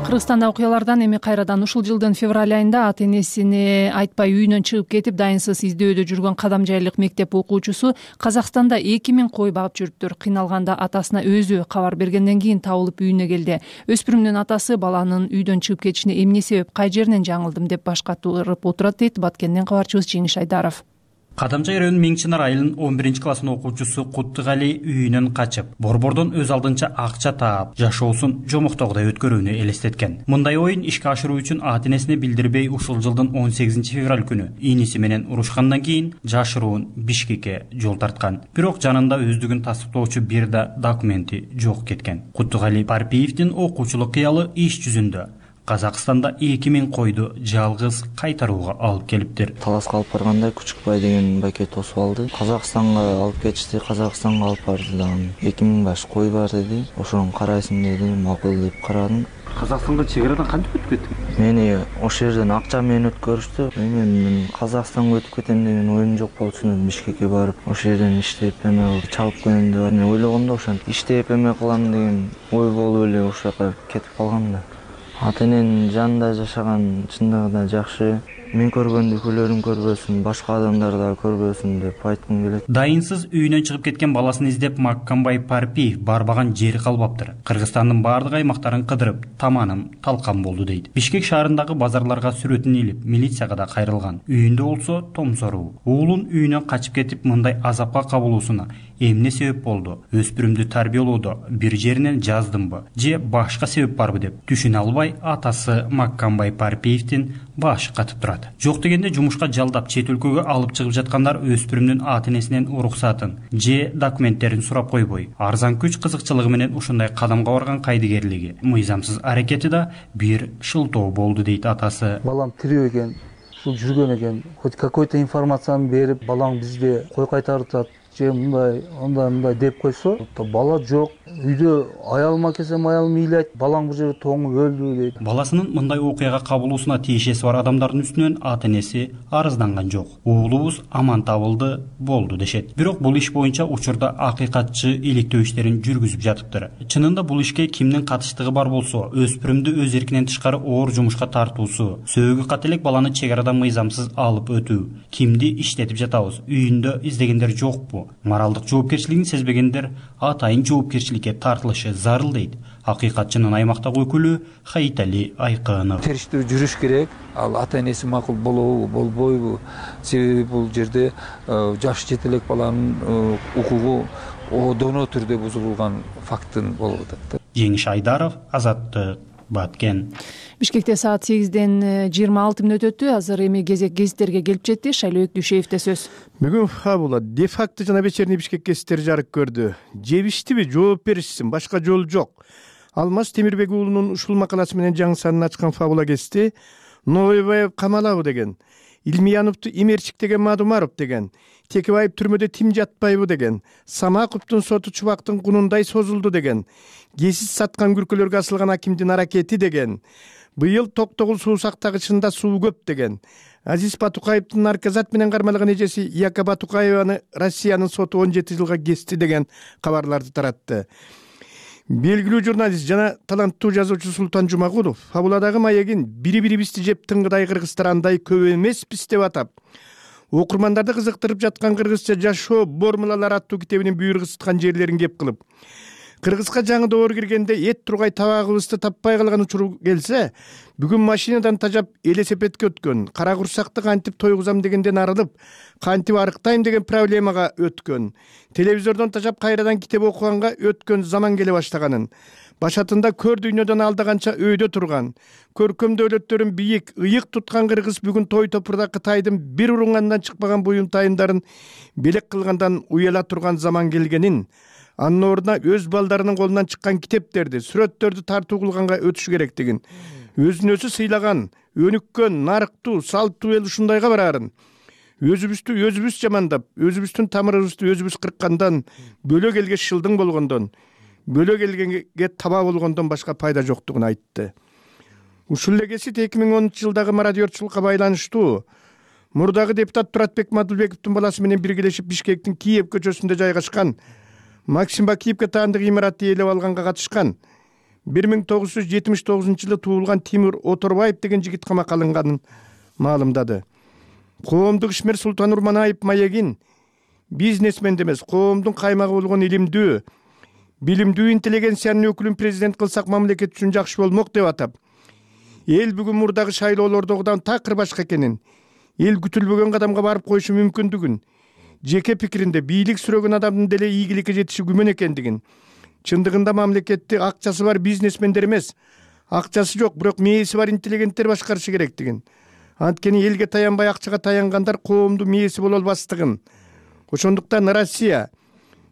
Кыргызстанда окуялардан эми кайрадан ушул жылдын февраль айында ата энесине айтпай үйүнөн чыгып кетип дайынсыз издөөдө жүргөн Кадамжайлык мектеп окуучусу Казакстанда 2000 кой багып жүрүптүр. Кыйналганда атасына өзү кабар бергенден кийин табылып үйүнө келди. Өспүрүмдүн атасы баланын үйдөн чыгып кетишине эмне себеп, кай жеринен жаңылдым деп баш катырып отурат дейт Баткенден кабарчыбыз Жеңиш Айдаров. Кадамжай районунун Миңчинар айылынын 11-классын окуучусу Куттугали үйүнөн качып, борбордон өз алдынча акча таап, жашоосун жомоктогудай өткөрүүнү элестеткен. Мындай оюн ишке ашыруу үчүн ата энесине билдирбей ушул жылдын 18 февраль күнү иниси менен урушкандан кийин жашыруун Бишкекке жол тарткан. Бирок жанында өздүгүн тастыктоочу бир да документи жок кеткен. Куттугали Парпиевдин окуучулук кыялы иш жүзүндө Казакстанда 2000 койду жалгыз кайтарууга алып келиптир. Таласка алып барганда Күчүкбай деген байке тосуп алды. Казакстанга алып кетишти, Казакстанга алып барды дагы. 2000 баш кой бар деди. Ошону карайсың деди, макул деп карадым. Казакстанга чек-арадан кантип өтүп кеттиң? Мени ошол жерден акча менен өткөрүштү. Мен Казакстанга өтүп кетем деген оюм жок болчу. Бишкекке барып, ошол жерден иштеп эме чалып келем деп ойлогомдо ошентип иштеп эме кылам деген ой болуп эле ошол жака кетип калгам да. Ата эненин жанында жашаган чындыгында жакшы. Мен көргөндү күлөрүм көрбөсүн, башка адамдар да көрбөсүн деп айткым келет. Дайынсыз үйүнөн чыгып кеткен баласын издеп Маккамбай Парпиев барбаган жери калбаптыр. Кыргызстандын бардык аймактарын кыдырып, таманым талкан болду дейт. Бишкек шаарындагы базарларга сүрөтүн илип, милицияга да кайрылган. Үйүндө болсо томсоруу. Уулун үйүнөн качып кетип, мындай азапка кабылуусуна эмне себеп болду, өспүрүмдү тарбиялоодо бир жеринен жаздымбы же башка себеп барбы деп түшүнө албай атасы Маккамбай Парпиевдин башы катып турат. Жок дегенде жумушка жалдап чет өлкөгө алып чыгып жаткандар өспүрүмдүн ата-энесинен уруксатын же документтерин сурап койбой, арзан күч кызыкчылыгы менен ушундай кадамга барган кайдыгерлиги, мыйзамсыз аракети да бир шылтоо болду дейт атасы. Балам тирүү экен, ушул жүргөн экен, хоть какой-то информацияны берип, балаң бизге кой кайтартат же мындай деп койсо, бала жок, үйдө аялыма келсем аялым ыйлайт, балаң бул жерде тоңуп өлдү дейт. Баласынын мындай окуяга кабылуусуна тиешеси бар адамдардын үстүнөн ата-энеси арызданган жок. Уулубуз аман табылды, болду дешет. Бирок бул иш боюнча учурда акыйкатчы иликтөө иштерин жүргүзүп жатыптыр. Чынында бул ишке кимдин катыштыгы бар болсо, өспүрүмдү өз эркинен тышкары оор жумушка тартуусу, сөөгү кателек баланы чек арадан мыйзамсыз алып өтүү, кимди иштетип жатабыз, үйүндө издегендер жокпу? Моралдык жоопкерчилигин сезбегендер атайын жоопкерчиликке тартылышы зарыл дейт акыйкатчынын аймактагы өкүлү Хаитали Айкынов. Териштүү жүрүш керек. Ал ата-энеси макул болобу, болбойбу? Себеби бул жерде жаш жетелек баланын укугу одоно түрдө бузулган фактын болуп атат. Жеңиш Айдаров, Азаттык, Баткен. Бишкекте саат 8-ден 26 мүнөт өттү. Азыр эми кезек гезиттерге келип жетти. Шайлоок Дүйшеевде сөз. Бүгүн фабула де-факто жана вечерний Бишкек гезиттери жарык көрдү. Жебиштиби, жооп беришсин, башка жол жок. Алмаз Темирбек уулунун ушул макаласы менен жаңы санын ачкан фабула гезити Новоебаев камалабы деген, Илмияновду Имерчик деген Мадумаров деген, Текебаев түрмөдө тим жатпайбы деген, Самаковдун соту чубактын кунундай созулду деген, гезит саткан күркөлөргө асылган акимдин аракети деген, быйыл Токтогул суу сактагычында суу көп деген, Азиз Батукаевдин наркозат менен кармалган эжеси Яка Батукаеваны Россиянын соту 17 жылга кести деген кабарларды таратты. Белгилүү журналист жана таланттуу жазуучу Султан Жумагулов фабуладагы маегин бири-бирибизди жеп тыңгыдай кыргыздар андай көп эмеспиз деп атап, окурмандарды кызыктырып жаткан кыргызча жашоо формулалары аттуу китебинин буйругсуткан жерлерин кеп кылып, кыргызга жаңы доор киргенде эт тургай табагыбызды таппай калган учур келсе, бүгүн машинадан тажап элесепетке өткөн, кара курсакты кантип тойгузам дегенден арылып, кантип арыктайм деген проблемага өткөн, телевизордон тажап кайрадан китеп окуганга өткөн заман келе баштаганын, башатында көр дүйнөдөн алдаганча өйдө турган, көркөм дөөлөттөрүн бийик, ыйык туткан кыргыз бүгүн той топурда Кытайдын бир урунгандан чыкпаган буюнтайымдарын белек кылгандан уяла турган заман келгенин, анын ордуна өз балдарынын колунан чыккан китептерди, сүрөттөрдү тартуу кылганга өтүш керектигин, өзүн өзү сыйлаган, өнүккөн, нарыктуу, салттуу эл ушундайга барарын, өзүбүздү өзүбүз жамандап, өзүбүздүн тамырыбызды өзүбүз кырккандан, бөлөк элге шылдың болгондон, бөлөк элге таба болгондон башка пайда жоктугун айтты. Ушул эле гезит 2010 жылдагы мародерчулукка байланыштуу мурдагы депутат Туратбек Мадылбековдун баласы менен биргелешип Бишкектин Киев көчөсүндө жайгашкан Максим Бакиевке таандык имаратты ээлеп алганга катышкан 1979 жылы туулган Тимур Оторбаев деген жигит камакка алынганын маалымдады. Коомдук ишмер Султан Урманаев маегин бизнесмен эмес, коомдун каймагы болгон илимдүү, билимдүү интеллигенциянын өкүлүн президент кылсак мамлекет үчүн жакшы болмок деп атап, эл бүгүн мурдагы шайлоолордогудан такыр башка экенин, эл күтүлбөгөн кадамга барып коюшу мүмкүндүгүн, жеке пикиринде бийлик сүрөгөн адамдын деле ийгиликке жетиши күмөн экендигин, чындыгында мамлекетти акчасы бар бизнесмендер эмес, акчасы жок, бирок мээси бар интеллигенттер башкарышы керектигин, анткени элге таянбай акчага таянгандар коомдун мээси боло албастыгын, ошондуктан Россия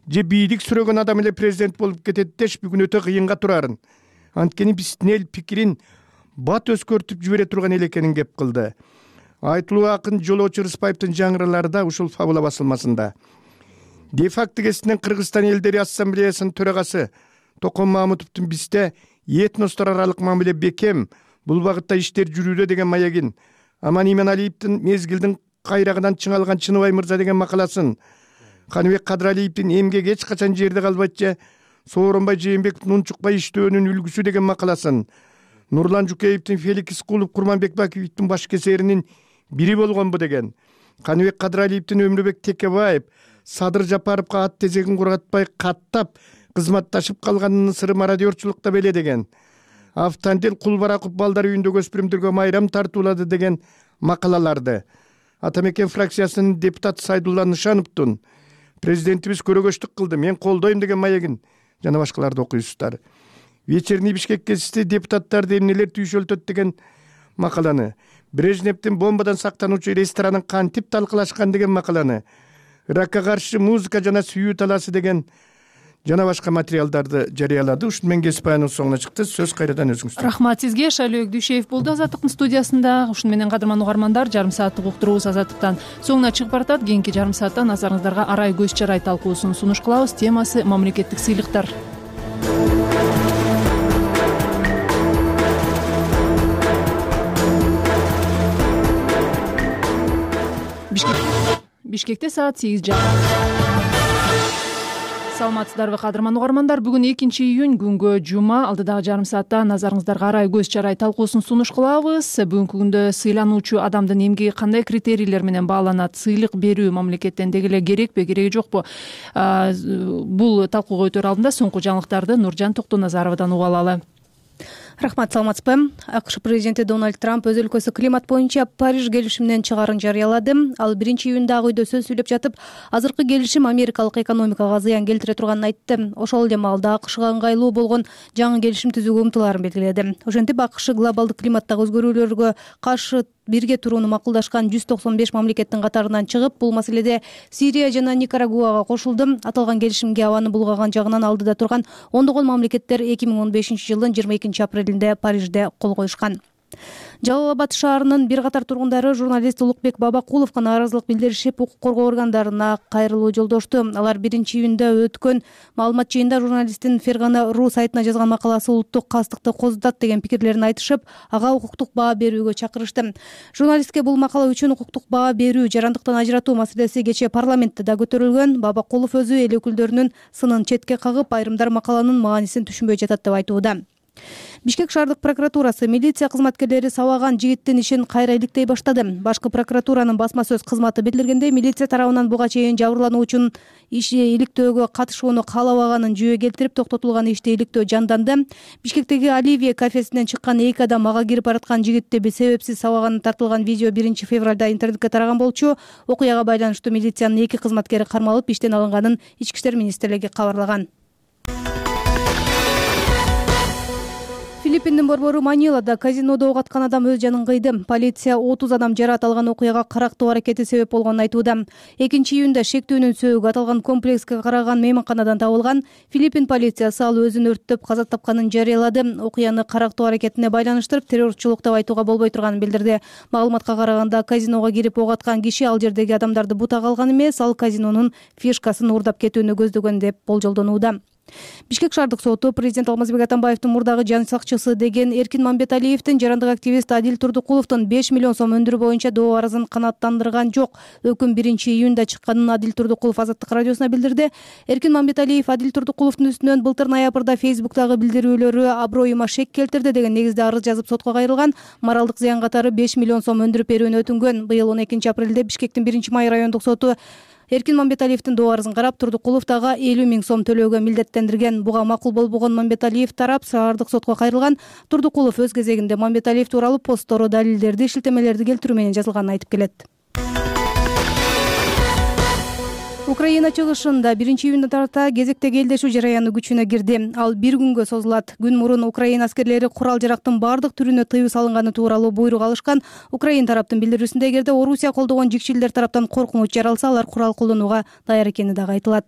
же бийлик сүрөгөн адам эле президент болуп кетет деш бүгүн өтө кыйынга турарын, анткени биздин эл пикирин бат өзгөртүп жибере турган эл экенин кеп кылды. Айтылуу акын Жолоочу Рыспаевдин жаңыралары да ушул фабула басылмасында. Де-факто гезитинен Кыргызстан элдери ассамблеясынын төрагасы Токон Мамутовдун бизде этностор аралык мамиле бекем, бул багытта иштер жүрүүдө деген маегин, Аман Иманалиевдин мезгилдин кайрагынан чыңалган Чыныбай мырза деген макаласын, Каныбек Кадралиевдин эмгек эч качан жерде калбайт же Сооронбай Жээнбековдун унчукпай иштөөнүн үлгүсү деген макаласын, Нурлан Жукеевдин Феликс Кулов Курман Бекбаевдин баш кесеринин бири болгонбу деген, Каныбек Кадралиевдин Өмүрбек Текебаев Садыр Жапаровго ат тезегин кургатпай каттап кызматташып калганынын сыры мародерчулукта беле деген, Автандел Кулбараков балдар үйүндөгү өспүрүмдөргө майрам тартуулады деген макалаларды, Атамекен фракциясынын депутаты Сайдулла Нышановдун Президентибиз көрөгөчтүк кылды, мен колдойм деген маегин жана башкаларды окуйсуздар. Вечерний Бишкек гезити депутаттарды эмнелер түйшөлтөт деген макаланы, Брежневдин бомбадан сактануучу ресторанын кантип талкылашкан деген макаланы, Иракка каршы музыка жана сүйүү талаасы деген жана башка материалдарды жарыялады. Ушуну менен кесип аянын соңуна чыкты. Сөз кайрадан өзүңүздө. Рахмат сизге. Шайлоо Дүйшеев болду Азаттыктын студиясында. Ушуну менен кадырман угармандар, жарым сааттык уктуруубуз Азаттыктан соңуна чыгып баратат. Кийинки жарым саатта назарыңыздарга арай көз чарай талкуусун сунуш кылабыз. Темасы мамлекеттик сыйлыктар. Бишкекте саат 8. Саламатсыздарбы кадырман угармандар. Бүгүн 2-июнь күнгө жума. Алдыдагы жарым саатта назарыңыздарга арай көз чарай талкуусун сунуш кылабыз. Бүгүнкү күндө сыйлануучу адамдын эмгеги кандай критерийлер менен бааланат? Сыйлык берүү мамлекеттен деги эле керекпи, кереги жокпу? Бул талкууга өтөр алдында соңку жаңылыктарды Нуржан Токтоназаровадан угуп алалы. Рахмат, саламатсызбы. АКШ президенти Дональд Трамп өз өлкөсү климат боюнча Париж келишиминен чыгаарын жарыялады. Ал 1-июнда үйдө сөз сүйлөп жатып, азыркы келишим америкалык экономикага зыян келтире турганын айтты. Ошол эле маалда АКШга ыңгайлуу болгон жаңы келишим түзүүгө умтулаарын белгиледи. Ошентип АКШ глобалдык климаттагы өзгөрүүлөргө каршы бирге турууну макулдашкан 195 мамлекеттин катарынан чыгып, бул маселеде Сирия жана Никарагуага кошулду. Аталган келишимге абаны булгаган жагынан алдыда турган ондогон мамлекеттер 2015-жылдын 22-апрелинде Парижде кол коюшкан. Жалал Абад шаарынын бир катар тургундары журналист Улукбек Бабакуловго нааразылык билдиришип, укук коргоо органдарына кайрылуу жолдошту. Алар 1-июнда өткөн маалымат жыйында журналисттин Фергана.ру сайтына жазган макаласы улуттук кастыкты козутат деген пикирлерин айтышып, ага укуктук баа берүүгө чакырышты. Журналистке бул макала үчүн укуктук баа берүү, жарандыктан ажыратуу маселеси кечээ парламентте да көтөрүлгөн. Бабакулов өзү эл өкүлдөрүнүн сынын четке кагып, айрымдар макаланын маанисин түшүнбөй жатат деп айтууда. Бишкек шаардык прокуратурасы милиция кызматкерлери сабаган жигиттин ишин кайра иликтей баштады. Башкы прокуратуранын басма сөз кызматы билдиргендей, милиция тарабынан буга чейин жабырлануучунун иши иликтөөгө катышууну каалабаганын жүйө келтирип, токтотулган ишти иликтөө жанданды. Бишкектеги Оливия кафесинен чыккан 2 адам ага кирип бараткан жигитти себепсиз сабаганы тартылган видео 1-февралда интернетке тараган болчу. Окуяга байланыштуу милициянын 2 кызматкери кармалып, иштен алынганын Ички иштер министрлиги кабарлаган. Филиппиндин борбору Манилада казинодо ок аткан адам өз жанын кыйды. Полиция 30 адам жаракат алган окуяга карактоо аракети себеп болгонун айтууда. 2-июнда шектүүнүн сөөгү аталган комплекске караган мейманканадан табылган. Филиппин полициясы ал өзүн өрттөп каза тапканын жарыялады. Окуяны карактоо аракетине байланыштырып, террорчулук деп айтууга болбой турганын билдирди. Маалыматка караганда, казиного кирип ок аткан киши ал жердеги адамдарды бутага алган эмес, ал казинонун фишкасын уурдап кетүүнү көздөгөн деп болжолдонууда. Бишкек шаардык соту президент Алмазбек Атамбаевдин мурдагы жан сакчысы деген Эркин Мамбеталиевдин жарандык активист Адил Турдукуловдун 5 миллион сом өндүрүү боюнча доо арызын канааттандырган жок. Өкүм 1-июнда чыкканын Адил Турдукулов Азаттык радиосуна билдирди. Эркин Мамбеталиев Адил Турдукуловдун үстүнөн былтыр ноябрда Facebook'тагы билдирүүлөрү аброюма шек келтирди деген негизде арыз жазып сотко кайрылган. Моралдык зыян катары 5 миллион сом өндүрүп берүүнү өтүнгөн. Быйыл 12-апрелде Бишкектин 1-Май райондук соту Эркин Мамбеталиевдин доо арызын карап, Турдукулов дагы 50 000 сом төлөөгө милдеттендирген. Буга макул болбогон Мамбеталиев тарап шаардык сотко кайрылган. Турдукулов өз кезегинде Мамбеталиев тууралуу посттору, далилдерди, шилтемелерди келтирүү менен жазылганын айтып келет. Украина чыгышында 1-июнда тарта кезектеги элдешүү жараяны күчүнө кирди. Ал 1 күнгө созулат. Күн мурун Украина аскерлери курал-жарактын бардык түрүнө тыюу салынганы тууралуу буйрук алышкан. Украин тараптын билдирүүсүндө, эгерде Орусия колдогон жикчилдер тараптан коркунуч жаралса, алар курал колдонууга даяр экени дагы айтылат.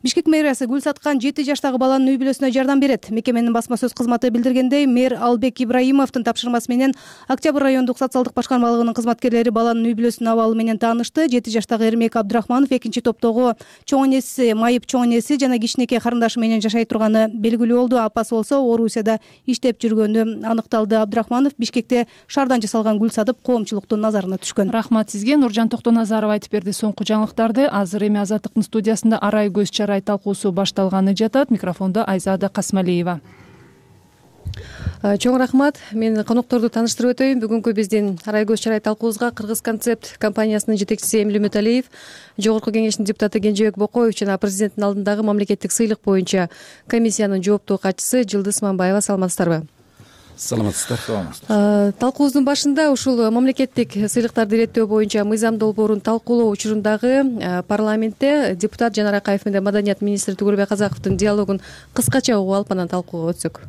Бишкек мэриясы гүл саткан 7 жаштагы баланын үй бүлөсүнө жардам берет. Мекеменин басма сөз кызматы билдиргендей, мэр Албек Ибраимовдун тапшырмасы менен Октябрь райондук социалдык башкармалыгынын кызматкерлери баланын үй бүлөсүнүн абалы менен таанышты. 7 жаштагы Эрмек Абдрахманов экинчи топтогу чоң энеси, майып чоң энеси жана кичинекей карындашы менен жашай турганы белгилүү болду. Апасы болсо Орусияда иштеп жүргөнү аныкталды. Абдрахманов Бишкекте шаардан жасалган гүл сатып, коомчулуктун назарына түшкөн. Рахмат сизге. Нуржан Токтоназарова айтып берди соңку жаңылыктарды. Азыр эми Азаттыктын студиясында арай көз чарай талкуусу башталганы жатат. Микрофондо Айзада Касмалиева. Чоң рахмат. Мен конокторду тааныштырып өтөйүн. Бүгүнкү биздин арай көз чарай талкуубузга Кыргыз концепт компаниясынын жетекчиси Эмиль Үмүталиев, Жогорку кеңештин депутаты Кенжебек Бокоев жана президенттин алдындагы мамлекеттик сыйлык боюнча комиссиянын жооптуу катчысы Жылдыз Мамбаева. Саламатсыздарбы? саламатсыздар. Талкуубуздун башында ушул мамлекеттик сыйлыктарды иреттөө боюнча мыйзам долбоорун талкуулоо учурундагы парламентте депутат Жанар Акаев менен маданият министри Түгөлбай Казаковдун диалогун кыскача угуп алып анан талкууга өтсөк.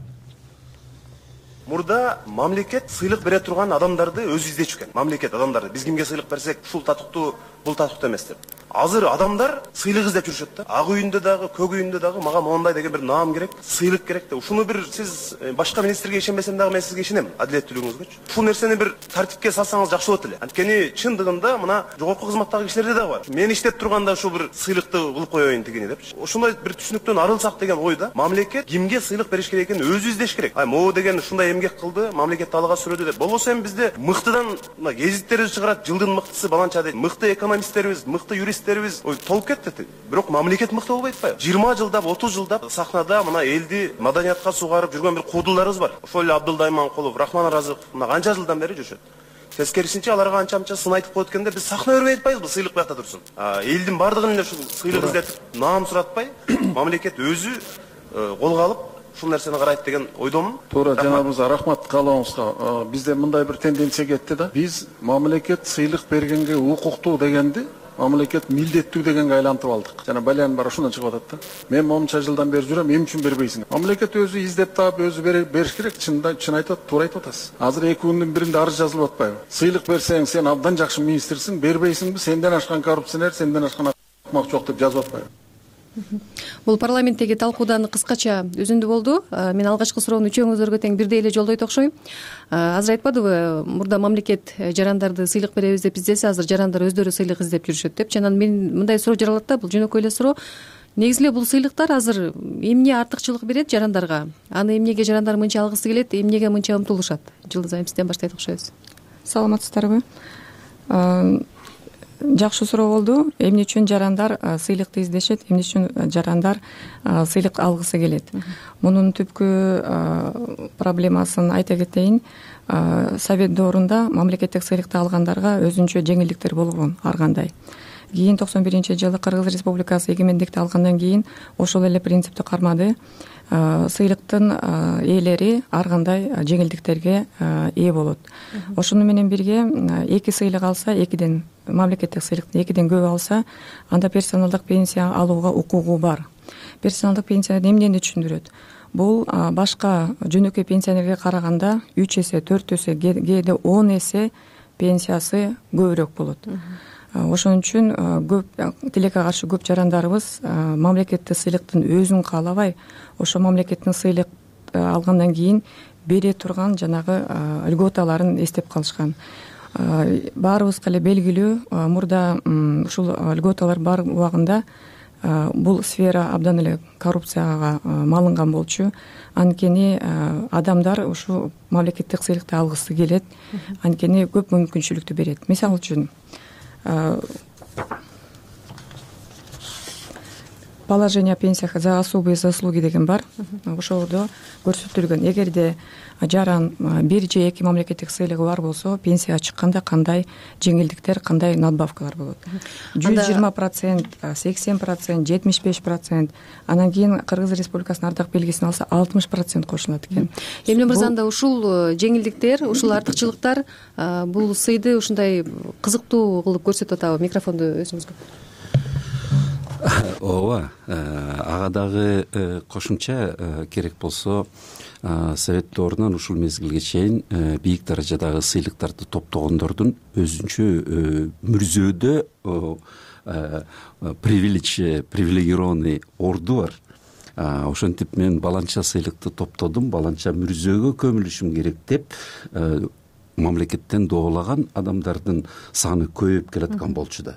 Мурда мамлекет сыйлык бере турган адамдарды өзү издечү экен. Мамлекет адамдарды биз кимге сыйлык берсек, ушул татыктуу, бул татыктуу эмес деп. Азыр адамдар сыйлык издеп жүрүшөт да. Ак үйүндө дагы, көк үйүндө дагы мага мондай деген бир наам керек, сыйлык керек деп. Ушуну бир сиз башка министрге ишенбесем дагы мен сизге ишенем, адилеттүүлүгүңүзгөчү. Ушул нерсени бир тартипке салсаңыз жакшы болот эле. Анткени чындыгында мына жогорку кызматтагы кишилерде дагы бар. Мен иштеп турганда ушул бир сыйлыкты кылып коеюн тигини депчи. Ошондой бир түшүнүктөн арылсак деген ойда. Мамлекет кимге сыйлык бериш керек экенин өзү издеш керек. Могу деген ушундай эмгек кылды, мамлекетти алга сүрөдү деп. Болбосо эми бизде мыктыдан гезиттерибиз чыгарат, жылдын мыктысы баланча дейт. Мыкты экономисттерибиз, мыкты юристтерибиз кетти. Бирок мамлекет мыкты болбой атпайбы? 20 жылдап, 30 жылдап сахнада мына элди маданиятка сугарып жүргөн бир куудулдарыбыз бар. Ошол эле Абдылдай Манкулов, Рахман Аразыков мына канча жылдан бери жүрүшөт. Тескерисинче аларга анча-мынча сын айтып коет экен да, биз сахна бербей атпайбызбы, сыйлык буякта турсун. Элдин бардыгын эле ушул сыйлык издетип, наам суратпай, мамлекет өзү колго алып ушул нерсени карайт деген ойдомун. Туура, жанабызга рахмат каалооңузга. Бизде мындай бир тенденция кетти да. Биз мамлекет сыйлык бергенге укуктуу дегенди мамлекет милдеттүү дегенге айлантып алдык. Жана балян бар ошондон чыгып атат да. Мен монча жылдан бери жүрөм, эмне үчүн бербейсиң? Мамлекет өзү издеп таап, өзү бериш керек. Чын айтат, туура айтып атасыз. Азыр 2 күндүн биринде арыз жазылып атпайбы? Сыйлык берсең, сен абдан жакшы министрсиң, бербейсиңби? Сенден ашкан коррупционер, сенден ашкан акмак жок деп жазып атпайбы? Бул парламенттеги талкуудан кыскача үзүндү болду. Мен алгачкы суроону үчөөңүзгө тең бирдей эле жолдойт окшойм. Азыр айтпадыбы, мурда мамлекет жарандарды сыйлык беребиз деп издесе, азыр жарандар өздөрү сыйлык издеп жүрүшөт депчи. Анан мен мындай суроо жаралат да, бул жөнөкөй эле суроо. Негизи эле бул сыйлыктар азыр эмне артыкчылык берет жарандарга? Аны эмнеге жарандар мынча алгысы келет, эмнеге мынча умтулушат? Жылдыз айым, сизден баштайт окшойбуз. Саламатсыздарбы? Жакшы суроо болду. Эмне үчүн жарандар сыйлыкты издешет, эмне үчүн жарандар сыйлык алгысы келет? Мунун түпкү проблемасын айта кетейин. Совет доорунда мамлекеттик сыйлыкты алгандарга өзүнчө жеңилдиктер болгон ар кандай. Кийин 91-жылы Кыргыз Республикасы эгемендикти алгандан кийин ошол эле принципти кармады. Сыйлыктын ээлери ар кандай жеңилдиктерге ээ болот. Ошону менен бирге 2 сыйлык алса, 2ден мамлекеттик сыйлыкты 2ден көп алса, анда персоналдык пенсия алууга укугу бар. Персоналдык пенсия эмнени түшүндүрөт? Бул башка жөнөкөй пенсионерге караганда 3 эсе, 4 эсе, кээде 10 эсе пенсиясы көбүрөөк болот. Ошон үчүн көп тилекке каршы көп жарандарыбыз мамлекеттик сыйлыктын өзүн каалабай, ошо мамлекеттин сыйлык алгандан кийин бере турган жанагы льготаларын эстеп калышкан. Баарыбызга эле белгилүү, мурда ушул льготалар бар убагында бул сфера абдан эле коррупцияга малынган болчу. Анткени адамдар ушу мамлекеттик сыйлыкты алгысы келет, анткени көп мүмкүнчүлүктү берет. Мисалы үчүн положение о пенсиях за особые заслуги деген бар. Ошолдо көрсөтүлгөн, эгерде жаран 1 же 2 мамлекеттик сыйлыгы бар болсо, пенсияга чыкканда кандай жеңилдиктер, кандай надбавкалар болот. 120%, 80%, 75%, анан кийин Кыргыз Республикасынын ардак белгисин алса 60% кошулат экен. Эмне мырзанда ушул жеңилдиктер, ушул артыкчылыктар бул сыйды ушундай кызыктуу кылып көрсөтүп атабы? Микрофонду өзүңүзгө. Ооба, ага дагы кошумча керек болсо Совет доорунан ушул мезгилге чейин бийик даражадагы сыйлыктарды топтогондордун өзүнчө мүрзөөдө привилегированный орду бар. Ошентип мен баланча сыйлыкты топтодум, баланча мүрзөөгө көмүлүшүм керек деп мамлекеттен доолаган адамдардын саны көбөйүп келаткан болчу да.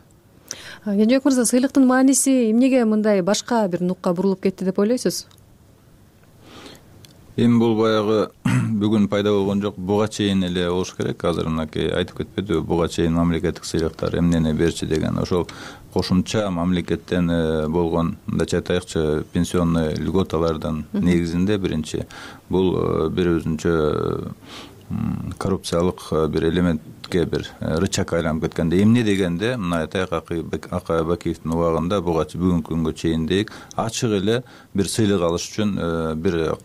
Кенжебек мырза, сыйлыктын мааниси эмнеге мындай башка бир нукка бурулуп кетти деп ойлойсуз? Эми бул баягы бүгүн пайда болгон жок, буга чейин эле болуш керек. Азыр мынакей айтып кетпедиби, буга чейин мамлекеттик сыйлыктар эмнени берчи деген, ошол кошумча мамлекеттен болгон, мындайча айтайыкчы, пенсионный льготалардын негизинде биринчи бул бир өзүнчө коррупциялык бир элементке бир рычаг айланып кеткенде, эмне дегенде, мына айтайык Акай Бакиевдин убагында буга бүгүнкү күнгө чейин дейик ачык эле бир сыйлык алыш үчүн бир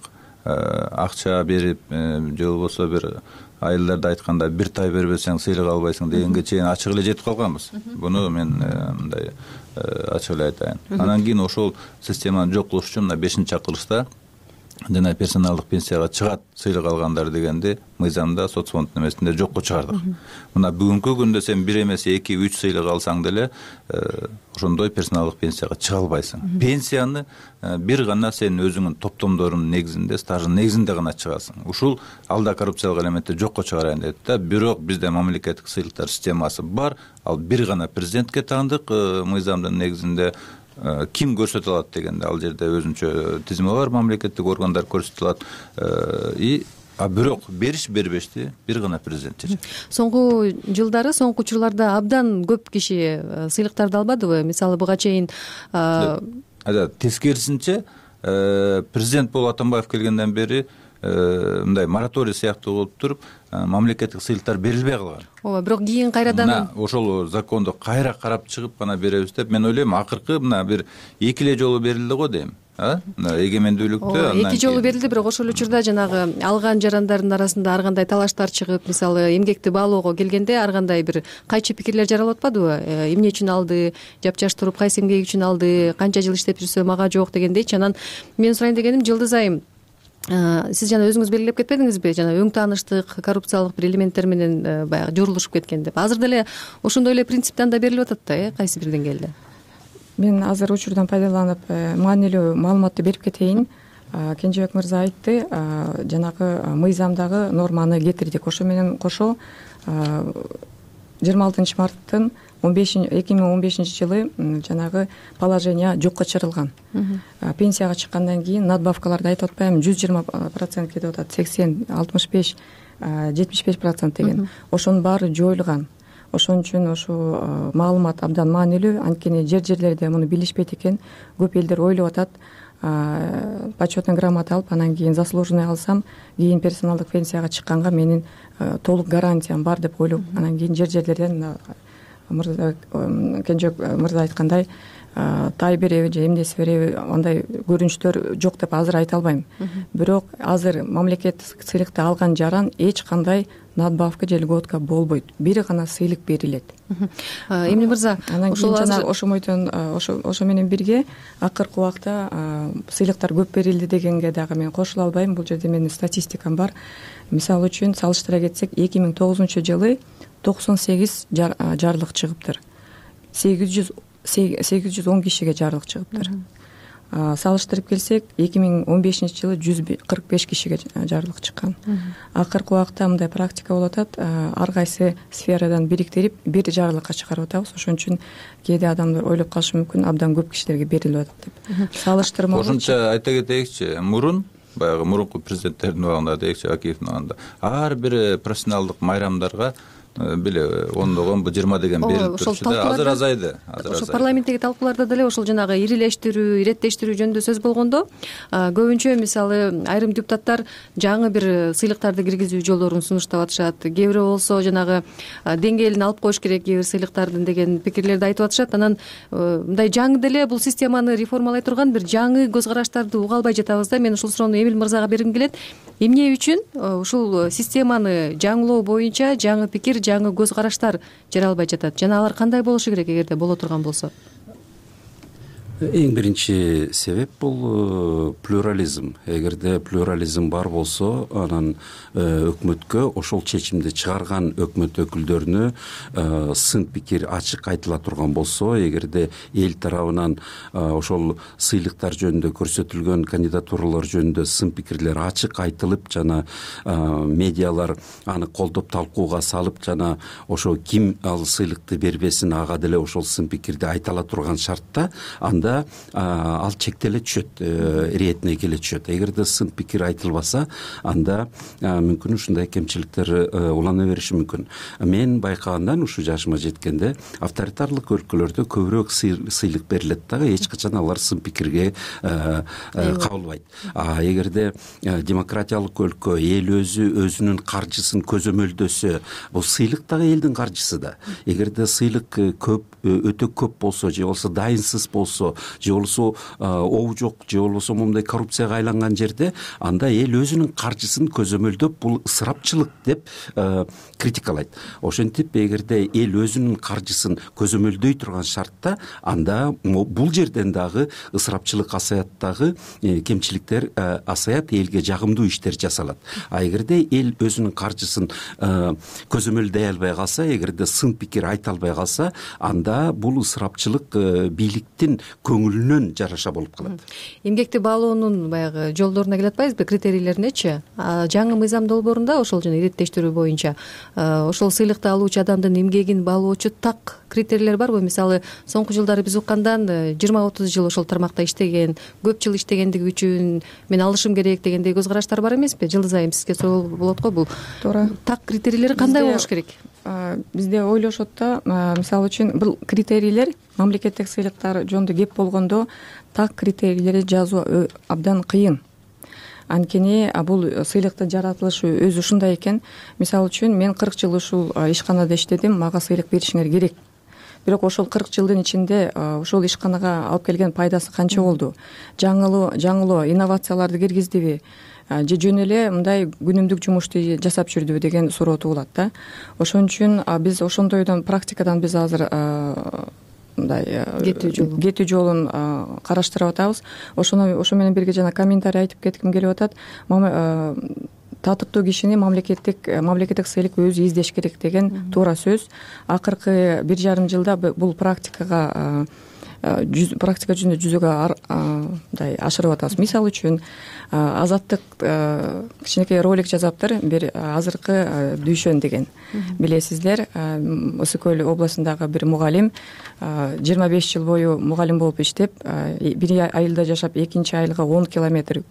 акча берип же болбосо бир айылдарда айтканда бир тай бербесең сыйлык албайсың дегенге чейин ачык эле жетип калганбыз. Буну мен мындай ачык эле айтайын. Анан кийин ошол системаны жок кылыш үчүн мына 5-чакырылышта жана персоналдык пенсияга чыгат сыйлык алгандар дегенди мыйзамда соцфонддун эмесинде жокко чыгардык. Мына бүгүнкү күндө сен бир эмес 2-3 сыйлык алсаң деле ошондой персоналдык пенсияга чыга албайсың. Пенсияны бир гана сен өзүңүн топтомдорунун негизинде, стаждын негизинде гана чыгасың. Ушул алда коррупциялык элементти жокко чыгарайын деди да. Бирок бизде мамлекеттик сыйлыктар системасы бар. Ал бир гана президентке таандык мыйзамдын негизинде. Ким көрсөтө алат дегенде ал жерде өзүнчө тизме бар, мамлекеттик органдар көрсөтө алат. Бирок бериш бербешти бир гана президент чечет. Соңку жылдары, соңку учурларда абдан көп киши сыйлыктарды албадыбы? Мисалы буга чейин тескерисинче президент болуп Атамбаев келгенден бери мындай мораторий сыяктуу болуп туруп мамлекеттик сыйлыктар берилбей калган. Ооба, бирок кийин кайрадан ошол законду кайра карап чыгып гана беребиз деп мен ойлойм. Акыркы мына бир 2 эле жолу берилди го дейм. Эгемендүүлүктө 2 жолу берилди, бирок ошол учурда жанагы алган жарандардын арасында ар кандай талаштар чыгып, мисалы эмгекти баалоого келгенде ар кандай бир кайчы пикирлер жаралып атпадыбы? Эмне үчүн алды, жапжаш туруп кайсы эмгек үчүн алды, канча жыл иштеп жүрсө мага жок дегендейчи. Анан мен сурайын дегеним, Жылдыз айым, сиз жана өзүңүз белгилеп кетпедиңизби, жана өң тааныштык коррупциялык бир элементтер менен баягы жорулушуп кеткен деп. Азыр деле ошондой эле принциптен да берилип атат да, кайсы бир деңгээлде. Мен азыр учурдан пайдаланып маанилүү маалыматты берип кетейин. Кенжебек мырза айтты, жанагы мыйзамдагы норманы кетирдик. Ошо менен кошо 26 марттын 2015 жылы жанагы положение жокко чыгарылган. Пенсияга чыккандан кийин надбавкаларды айтып атпаймынбы, 120% кетип атат, 80, 65, 75% деген. Ошонун баары жоюлган. Ошон үчүн ошо маалымат абдан маанилүү. Анткени жерлерде муну билишпейт экен. Көп элдер ойлоп атат, почетный грамота алып, анан кийин заслуженный алсам, кийин персоналдык пенсияга чыкканга менин толук гарантиям бар деп ойлоп, анан кийин жерлерден Кенжебек мырза айткандай тай береби же эмнеси береби, андай көрүнүштөр жок деп азыр айта албайм. Бирок азыр мамлекеттик сыйлыкты алган жаран эч кандай надбавка же льготка болбойт. Бир гана сыйлык берилет. Эмне мырза, ошол ошомойдон ошо менен бирге акыркы убакта сыйлыктар көп берилди дегенге дагы мен кошула албайм. Бул жерде менин статистикам бар. Мисалы үчүн салыштыра кетсек, 2009-жылы 98 жарлык чыгыптыр. 810 кишиге жарлык чыгыптыр. Салыштырып келсек, 2015-жылы 145 кишиге жарлык чыккан. Акыркы убакта мындай практика болуп атат, ар кайсы сферадан бириктирип бир жарлыкка чыгарып атабыз. Ошон үчүн кээде адамдар ойлоп калышы мүмкүн, абдан көп кишилерге берилип атат деп. Салыштырма ошончо айта кетейикчи, баягы мурунку президенттердин убагында дейикчи, Акиевдин убагында ар бир профессионалдык майрамдарга биле 10 20 деген берилип турчу да. Азыр азайды. Ошол парламенттеги талкууларда деле ошол жанагы ирилештирүү, иреттештирүү жөнүндө сөз болгондо, көбүнчө мисалы айрым депутаттар жаңы бир сыйлыктарды киргизүү жолдорун сунуштап атышат. Кээ бирөө болсо жанагы деңгээлин алып коюш керек кээ бир сыйлыктардын деген пикирлерди айтып атышат. Анан мындай жаңы деле бул системаны реформалай турган бир жаңы көз караштарды уга албай жатабыз да. Мен ушул суроону Эмил мырзага бергим келет. Эмне үчүн ушул системаны жаңылоо боюнча жаңы пикир, жаңы көз караштар жаралбай жатат? Жана алар кандай болушу керек эгерде боло турган болсо? Эң биринчи себеп бул плюрализм. Эгерде плюрализм бар болсо, анан өкмөткө ошол чечимди чыгарган өкмөт өкүлдөрүнө сын пикир ачык айтыла турган болсо, эгерде эл тарабынан ошол сыйлыктар жөнүндө көрсөтүлгөн кандидатуралар жөнүндө сын пикирлер ачык айтылып, жана медиалар аны колдоп талкууга салып, жана ошо ким ал сыйлыкты бербесин ага деле ошол сын пикирди айтала турган шартта, анда ал чектеле түшөт, иретине келе түшөт. Эгерде сын пикир айтылбаса, анда мүмкүн ушундай кемчиликтер улана бериши мүмкүн. Мен байкагандан ушу жашыма жеткенде авторитарлык өлкөлөрдө көбүрөөк сыйлык берилет дагы, эч качан алар сын пикирге кабылбайт. Эгерде демократиялык өлкө эл өзүнүн каржысын көзөмөлдөсө, бул сыйлык дагы элдин каржысы да. Эгерде сыйлык көп, өтө көп болсо же болбосо дайынсыз болсо, болсо же болбосо оо жок же болбосо моундай коррупцияга айланган жерде анда эл өзүнүн каржысын көзөмөлдөп бул ысырапчылык деп критикалайт. Ошентип эгерде эл өзүнүн каржысын көзөмөлдөй турган шартта анда бул жерден дагы ысырапчылык асаят, дагы кемчиликтер асаят, элге жагымдуу иштер жасалат. А эгерде эл өзүнүн каржысын көзөмөлдөй албай калса, эгерде сын пикир айта албай калса, анда бул ысырапчылык бийликтин көңүлүнөн жараша болуп калат. Эмгекти баалоонун баягы жолдоруна келе атпайбызбы, критерийлеринечи? Жаңы мыйзам долбоорунда ошол жана иреттештирүү боюнча ошол сыйлыкты алуучу адамдын эмгегин баалоочу так критерийлер барбы? Мисалы, соңку жылдары биз уккандан 20-30 жыл ошол тармакта иштеген, көп жыл иштегендиги үчүн мен алышым керек дегендей көз караштар бар эмеспи? Жылдыз айым сизге суроо болот го, бул туура так критерийлери кандай болуш керек? Бизде ойлошот да, мисалы үчүн бул критерийлер мамлекеттик сыйлыктар жөнүндө кеп болгондо так критерийлерди жазуу абдан кыйын. Анткени бул сыйлыктын жаратылышы өзү ушундай экен. Мисалы үчүн мен 40 жыл ушул ишканада иштедим, мага сыйлык беришиңер керек. Бирок ошол 40 жылдын ичинде ошол ишканага алып келген пайдасы канча болду? Жаңылоо, инновацияларды киргиздиби? Же жөн эле мындай күнүмдүк жумушту жасап жүрдүбү деген суроо туулат да. Ошон үчүн биз ошондойдон практикадан биз азыр мындай кетүү жолун караштырып атабыз. Ошо менен бирге жана комментарий айтып кетким келип атат. Татыктуу кишини мамлекеттик сыйлык өзү издеш керек деген туура сөз. Акыркы 1,5 жылда бул практика жүзүндө жүзөгө мындай ашырып атабыз. Мисалы үчүн Азаттык кичинекей ролик жазаптыр, бир азыркы дүйшөн деген. Билесиздер, Ысык Көл областындагы бир мугалим 25 жыл бою мугалим болуп иштеп, бир айылда жашап, экинчи айылга 10 километр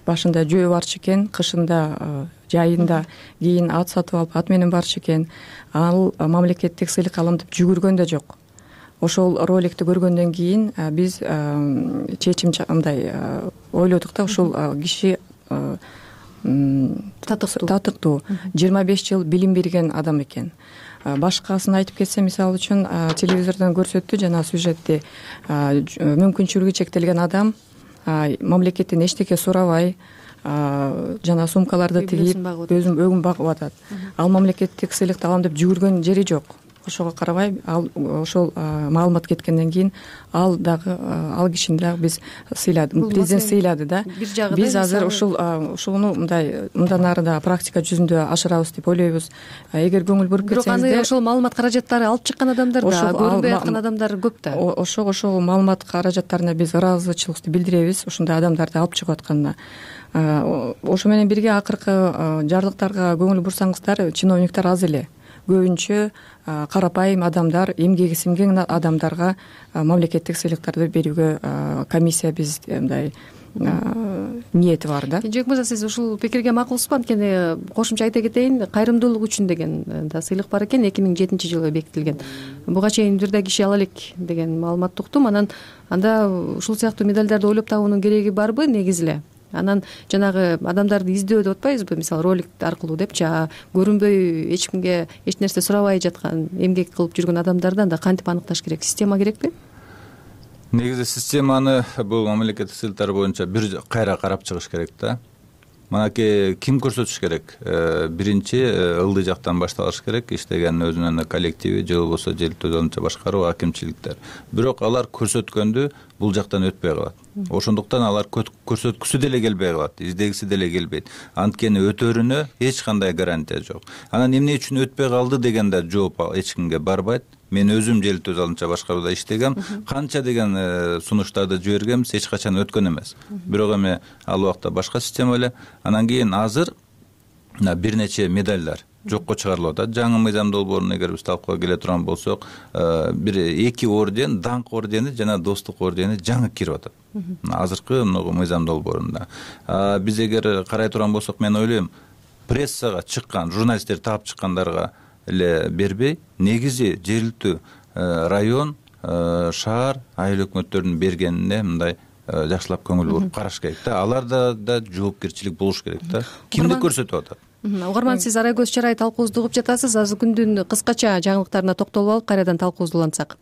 башында жөө барчу экен, кышында жайында, кийин ат сатып алып ат менен барчу экен. Ал мамлекеттик сыйлык алам деп жүгүргөн да жок. Ошол роликти көргөндөн кийин биз чечим мындай ойлодук да, ушул киши татыктуу 25 жыл билим берген адам экен. Башкасын айтып кетсем, мисалы үчүн телевизордон көрсөттү жана сюжетти, мүмкүнчүлүгү чектелген адам мамлекеттен эчтеке сурабай жана сумкаларды тигип өзүн өгүн багып атат. Ал мамлекеттик сыйлыкты алам деп жүгүргөн жери жок. Ошого карабай, ал ошол маалымат кеткенден кийин ал кишини дагы биз сыйладык, президент сыйлады да. Биз азыр ушуну мындан ары да практика жүзүндө ашырабыз деп ойлойбуз. Эгер көңүл буруп кетсеңиздер, бирок аны ошол маалымат каражаттары алып чыккан адамдар да, көрүнбөй аткан адамдар көп да. Ошол маалымат каражаттарына биз ыраазычылыкты билдиребиз, ушундай адамдарды алып чыгып атканына. Ошо менен бирге акыркы жарлыктарга көңүл бурсаңыздар, чиновниктер аз эле. Көбүнчө карапайым адамдар, эмгеги сиңген адамдарга мамлекеттик сыйлыктарды берүүгө комиссия биз мындай ниети бар да. Жок мырза, сиз ушул пикирге макулсузбу? Анткени кошумча айта кетейин, кайрымдуулук үчүн деген да сыйлык бар экен, 2007-жылы бекитилген. Буга чейин бир да киши ала элек деген маалыматты уктум. Анда ушул сыяктуу медалдарды ойлоп табуунун кереги барбы негизи эле? Анан жанагы адамдарды издөө деп атпайбызбы, мисалы ролик аркылуу депчи, көрүнбөй эч кимге эч нерсе сурабай жаткан, эмгек кылып жүргөн адамдарды анда кантип аныкташ керек? Система керекпи? Негизи системаны бул мамлекеттик сыйлыктар боюнча бир кайра карап чыгыш керек да. Манаки ким көрсөтүш керек? Биринчи ылдый жактан башталыш керек, иштеген өзүнүн коллективи же болбосо желтөө азырынча башкаруу акимчиликтер. Бирок алар көрсөткөндү бул жактан өтпөй калат. Ошондуктан алар көрсөткүсү деле келбей калат, издегиси деле келбейт. Анткени өтөрүнө эч кандай гарантия жок. Анан эмне үчүн өтпөй калды деген да жооп эч кимге барбайт. Мен өзүм желтөө азырынча башкарууда иштегем, канча деген сунуштарды жибергенбиз, эч качан өткөн эмес. Бирок эми ал убакта башка система эле. Анан кийин азыр бир нече медалдар жокко чыгарылып атат. Жаңы мыйзам долбоорун эгер биз талкууга келе турган болсок, бир 2 орден, даңк ордени жана достук ордени жаңы кирип атат. Азыркы мыйзам долбоорунда. Биз эгер карай турган болсок, мен ойлойм, прессага чыккан, журналисттер таап чыккандарга эле бербей, негизи жергиликтүү район, шаар, айыл өкмөттөрдүн бергенине мындай жакшылап көңүл буруп караш керек да. Аларда да жоопкерчилик болуш керек да. Кимди көрсөтүп атат? Угарман, сиз Арай көз чарай талкуубузду угуп жатасыз. Азыр күндүн кыскача жаңылыктарына токтолуп алып, кайрадан талкуубузду улантсак.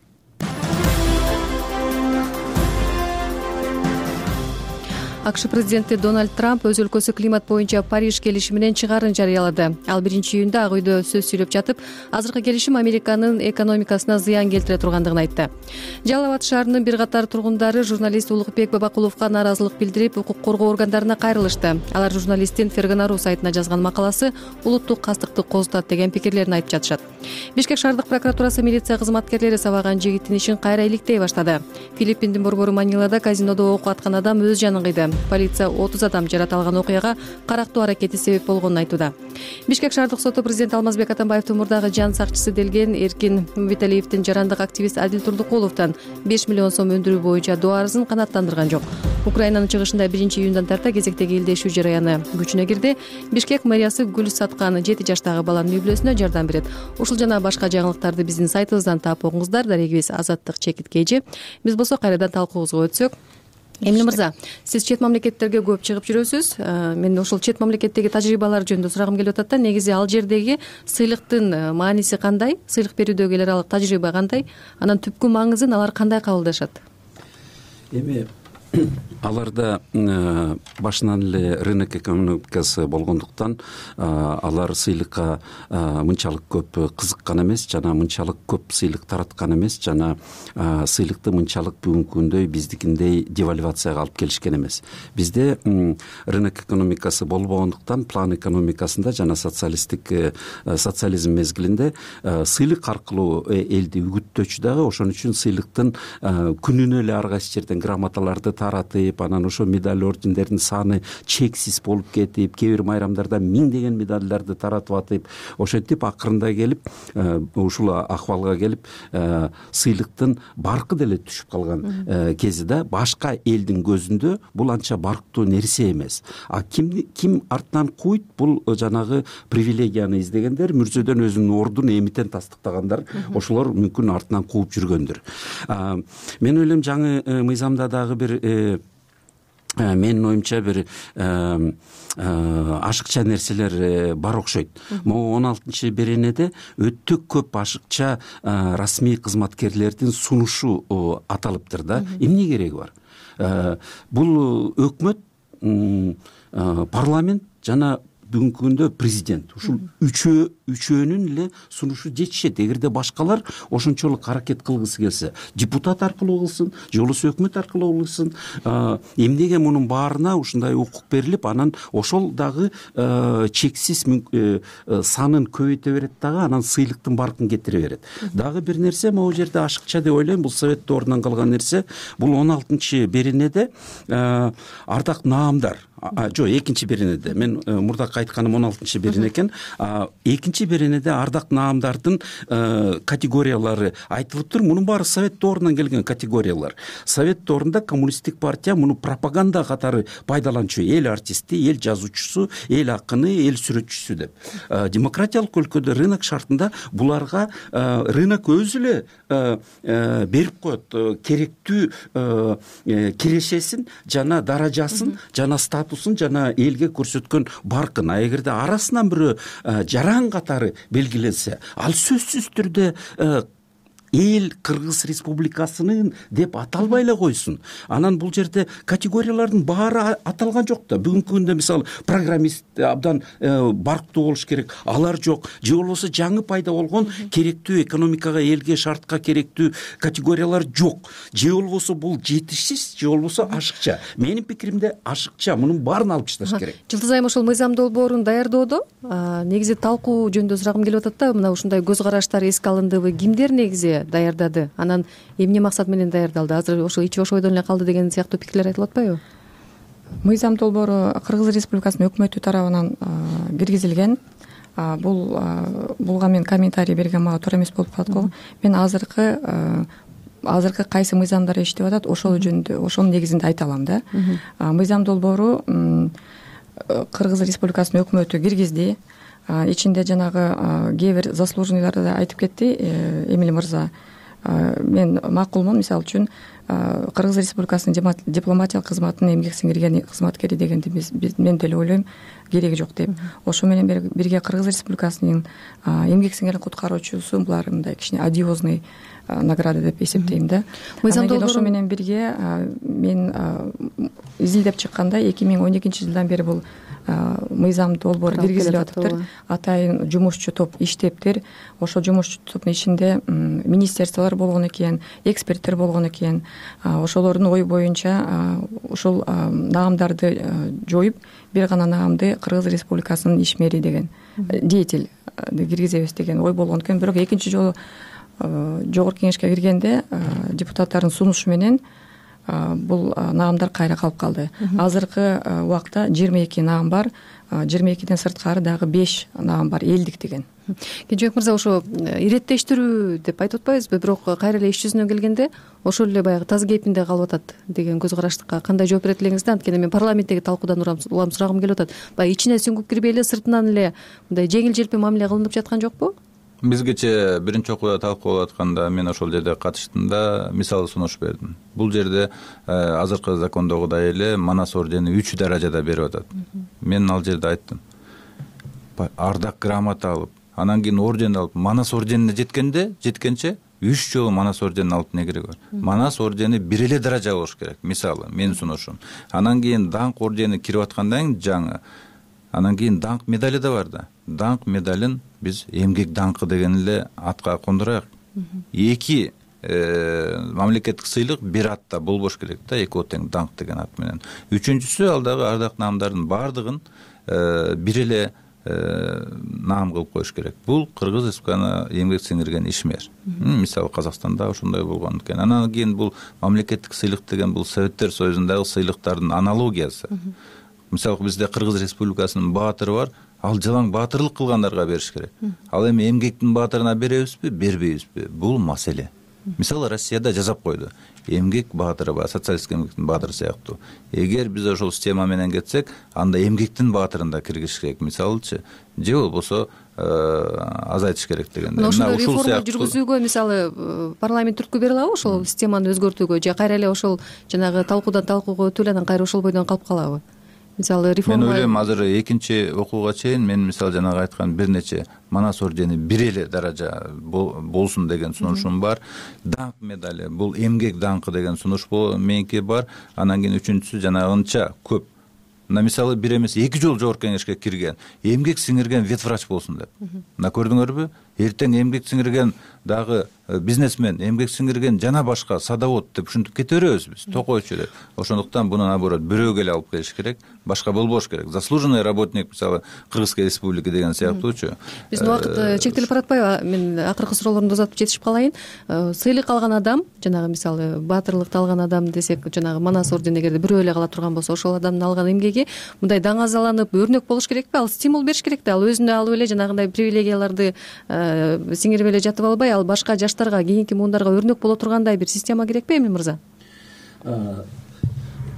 АКШ президенти Дональд Трамп өз өлкөсү климат боюнча Париж келишиминен чыгаарын жарыялады. Ал 1-июнда Ак үйдө сөз сүйлөп жатып, азыркы келишим Американын экономикасына зыян келтире тургандыгын айтты. Жалал Абад шаарынын бир катар тургундары журналист Улукбек Бабакуловго нааразылык билдирип, укук коргоо органдарына кайрылышты. Алар журналисттин Фергана.ру сайтына жазган макаласы улуттук кастыкты козутат деген пикирлерин айтып жатышат. Бишкек шаардык прокуратурасы милиция кызматкерлери сабаган жигиттин ишин кайра иликтей баштады. Филиппиндин борбору Манилада казинодо ок аткан адам өз жанын кыйды. Полиция 30 адам жаракат алган окуяга карактуу аракети себеп болгонун айтууда. Бишкек шаардык соту президент Алмазбек Атамбаевдин мурдагы жан сакчысы делген Эркин Мумбеталиевдин жарандык активист Адил Турдукуловдон 5 миллион сом өндүрүү боюнча доо арызын канааттандырган жок. Украинанын чыгышында 1-июндан тарта кезектеги илдешүү жараяны күчүнө кирди. Бишкек мэриясы гүл саткан 7 жаштагы баланын үй бүлөсүнө жардам берет. Ушул жана башка жаңылыктарды биздин сайтыбыздан таап окуңуздар. Дарегибиз Азаттык Чекит KG. Биз болсо кайрадан талкуубузга өтсөк. Эмне мырза, сиз чет мамлекеттерге көп чыгып жүрөсүз. Мен ошол чет мамлекеттеги тажрыйбалар жөнүндө сурагым келип атат да. Негизи ал жердеги сыйлыктын мааниси кандай? Сыйлык берүүдөгү эл аралык тажрыйба кандай? Анан түпкү маңызын алар кандай кабылдашат? Эми аларда башынан эле рынок экономикасы болгондуктан алар сыйлыкка мынчалык көп кызыккан эмес жана мынчалык көп сыйлык тараткан эмес жана сыйлыкты мынчалык бүгүнкү күндөй биздикиндей девальвацияга алып келишкен эмес. Бизде рынок экономикасы болбогондуктан план экономикасында жана социализм мезгилинде сыйлык аркылуу элди үгүттөөчү дагы, ошон үчүн сыйлыктын күнүнө эле ар кайсы жерден грамоталарды таратып, анан ошо медаль ордендердин саны чексиз болуп кетип, кээ бир майрамдарда миңдеген медальдарды таратып атып, ошентип акырында келип ушул акыбалга келип сыйлыктын баркы деле түшүп калган кези да башка элдин көзүндө бул анча барктуу нерсе эмес. Ким артынан куйт, бул жанагы привилегияны издегендер, мүрзөдөн өзүнүн ордун эмитен тастыктагандар, ошолор мүмкүн артынан кууп жүргөндүр. Мен ойлойм жаңы мыйзамда дагы бир менин оюмча бир ашыкча нерселер бар окшойт. Могу 16-беренеде өтө көп ашыкча расмий кызматкерлердин сунушу аталыптыр да. Эмне кереги бар? Бул өкмөт, парламент жана бүгүнкү күндө президент ушул үчөөнүн эле сунушу жетишет. Эгерде башкалар ошончолук аракет кылгысы келсе, депутат аркылуу кылсын, же болбосо өкмөт аркылуу кылсын, эмнеге мунун баарына ушундай укук берилип, анан ошол дагы чексиз санын көбөйтө берет дагы, анан сыйлыктын баркын кетире берет. Дагы бир нерсе, могу жерде ашыкча деп ойлойм, бул совет доорунан калган нерсе. Бул 16-беренеде ардак наамдар, жок, 2-беренеде, мен мурдакы айтканым 16-берене экен. 2-беренеде ардак наамдардын категориялары айтылыптыр. Мунун баары совет доорунан келген категориялар. Совет доорунда коммунисттик партия муну пропаганда катары пайдаланчу. Эл артисти, эл жазуучусу, эл акыны, эл сүрөтчүсү деп. Демократиялык өлкөдө рынок шартында буларга рынок өзү эле берип коет керектүү кирешесин жана даражасын жана статусун жана элге көрсөткөн баркын. А эгерде арасынан бирөө жаран катары белгиленсе, ал сөзсүз түрдө эл Кыргыз Республикасынын деп аталбай эле койсун. Анан бул жерде категориялардын баары аталган жок да. Бүгүнкү күндө мисалы программист абдан барктуу болуш керек, алар жок. Же болбосо жаңы пайда болгон керектүү экономикага, элге, шартка керектүү категориялар жок. Же болбосо бул жетишсиз, же болбосо ашыкча. Менин пикиримде ашыкча. Мунун баарын алып ташташ керек. Жылдыз айым ошол мыйзам долбоорун даярдоодо негизи талкуу жөнүндө сурагым келип атат да. Мына ушундай көз караштар эске алындыбы? Кимдер негизи даярдады? Анан эмне максат менен даярдалды? Азыр ошо ичи ошойдон эле калды деген сыяктуу пикирлер айтылып атпайбы? Мыйзам долбоору Кыргыз Республикасынын өкмөтү тарабынан киргизилген. Булга мен комментарий берген мага туура эмес болуп калат го. Мен азыркы кайсы мыйзамдар иштеп атат, ошол жөнүндө, ошонун негизинде айта алам да. Мыйзам долбоору Кыргыз Республикасынын өкмөтү киргизди. Ичинде жанагы кээ бир заслуженныйларды да айтып кетти Эмиль мырза. Мен макулмун, мисалы үчүн Кыргыз Республикасынын дипломатиялык кызматынын эмгек сиңирген кызматкери дегенди мен деле ойлойм кереги жок деп. Ошо менен бирге Кыргыз Республикасынын эмгек сиңирген куткаруучусу булар мындай кичине одиозный награда деп эсептейм да. Ошо менен бирге мен изилдеп чыкканда 2012-жылдан бери бул мыйзам долбоор киргизилип атыптыр. Атайын жумушчу топ иштептир. Ошол жумушчу топтун ичинде министерстволор болгон экен, эксперттер болгон экен. Ошолордун ою боюнча ушул наамдарды жоюп, бир гана наамды Кыргыз Республикасынын ишмери деген деятель киргизебиз деген ой болгон экен. Бирок экинчи жолу жогорку кеңешке киргенде депутаттардын сунушу менен бул наамдар кайра калып калды. Азыркы убакта 22 наам бар. 22ден сырткары дагы 5 наам бар, элдик деген. Кенжебек мырза, ошо иреттештирүү деп айтып атпайбызбы, бирок кайра эле иш жүзүнө келгенде ошол эле баягы таз кейпинде калып атат деген көз караштыкка кандай жооп берет элеңиз да? Анткени мен парламенттеги талкуудан улам сурагым келип атат. Баягы ичине сүңгүп кирбей эле сыртынан эле мындай жеңил желпи мамиле кылынып жаткан жокпу? Биз кечээ биринчи окууда талкуулап атканда мен ошол жерде катыштым да, мисал сунуш бердим. Бул жерде азыркы закондогудай эле Манас ордени 3 даражада берип атат. Мен ал жерде айттым, ардак грамота алып, анан кийин орден алып, Манас орденине жеткенче 3 жолу Манас орденин алып эмне кереги бар? Манас ордени бир эле даража болуш керек. Мисалы, менин сунушум. Анан кийин даңк ордени кирип аткандан кийин жаңы, анан кийин даңк медали да бар да. Даңк медалин биз эмгек даңкы деген эле атка кондурайык. 2 мамлекеттик сыйлык бир атта болбош керек да, 2 тең даңк деген ат менен. Үчүнчүсү ал дагы ардак наамдардын бардыгын бир эле наам кылып коюш керек. Бул Кыргыз Республикасына эмгек сиңирген ишмер. Мисалы Казакстанда ошондой болгон экен. Анан кийин бул мамлекеттик сыйлык деген бул Советтер Союзундагы сыйлыктардын аналогиясы. Мисалы бизде Кыргыз Республикасынын баатыры бар, ал жалаң баатырлык кылгандарга бериш керек. Ал эми эмгектин баатырына беребизби, бербейбизби? Бул маселе. Мисалы Россияда жазап койду. Эмгек баатыры бар, социалисттик эмгектин баатыры сыяктуу. Эгер биз ошол система менен кетсек, анда эмгектин баатырын да киргизиш керек, мисалычы. Же болбосо азайтыш керек дегенде. Ошол реформа жүргүзүүгө мисалы парламент түрткү бере алабы ошол системаны өзгөртүүгө, же кайра эле ошол жанагы талкуудан талкууга өтүп эле анан кайра ошол бойдон калып калабы? Мисалы реформа. Мен ойлойм, азыр экинчи окууга чейин мен мисалы жанагы айткан бир нече Манас ордени бир эле даража болсун деген сунушум бар. Даңк медали, бул эмгек даңкы деген сунуш меники бар. Анан кийин үчүнчүсү жанагынча көп. Мына мисалы бир эмес 2 жолу жогорку кеңешке кирген, эмгек сиңирген ветврач болсун деп. Мына көрдүңөрбү? Эртең эмгек сиңирген дагы бизнесмен, эмгек сиңирген жана башка садовод деп ушинтип кете беребиз биз, токойчу эле. Ошондуктан буну наоборот бирөөгө эле алып келиш керек, башка болбош керек. Заслуженный работник мисалы Кыргызской республики деген сыяктуучу. Биздин убакыт чектелип баратпайбы? Мен акыркы суроолорумду узатып жетишип калайын. Сыйлык алган адам, жанагы мисалы баатырлыкты алган адам десек, жанагы Манас ордени эгерде бирөө эле кала турган болсо, ошол адамдын алган эмгеги мындай даңазаланып, өрнөк болуш керекпи? Ал стимул бериш керек да. Ал өзүнө алып эле жанагындай привилегияларды сиңирип эле жатып албай, ал башка жаштарга, кийинки муундарга өрнөк боло тургандай бир система керекпи эми мырза?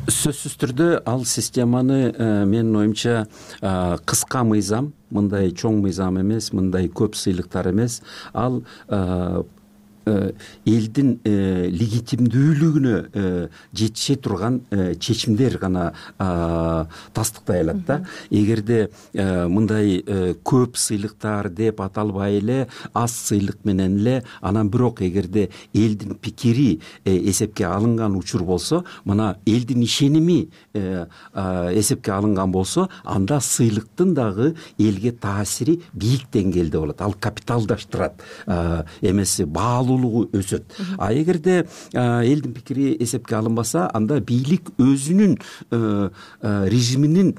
Сөзсүз түрдө ал системаны менин оюмча кыска мыйзам, мындай чоң мыйзам эмес, мындай көп сыйлыктар эмес, ал элдин легитимдүүлүгүнө жетише турган чечимдер гана тастыктай алат да. Эгерде мындай көп сыйлыктар деп аталбай эле, аз сыйлык менен эле, анан бирок эгерде элдин пикири эсепке алынган учур болсо, мына элдин ишеними эсепке алынган болсо, анда сыйлыктын дагы элге таасири бийик деңгээлде болот. Ал капиталдаштырат, эмеси баалуулугу өсөт. А эгерде элдин пикири эсепке алынбаса, анда бийлик өзүнүн режиминин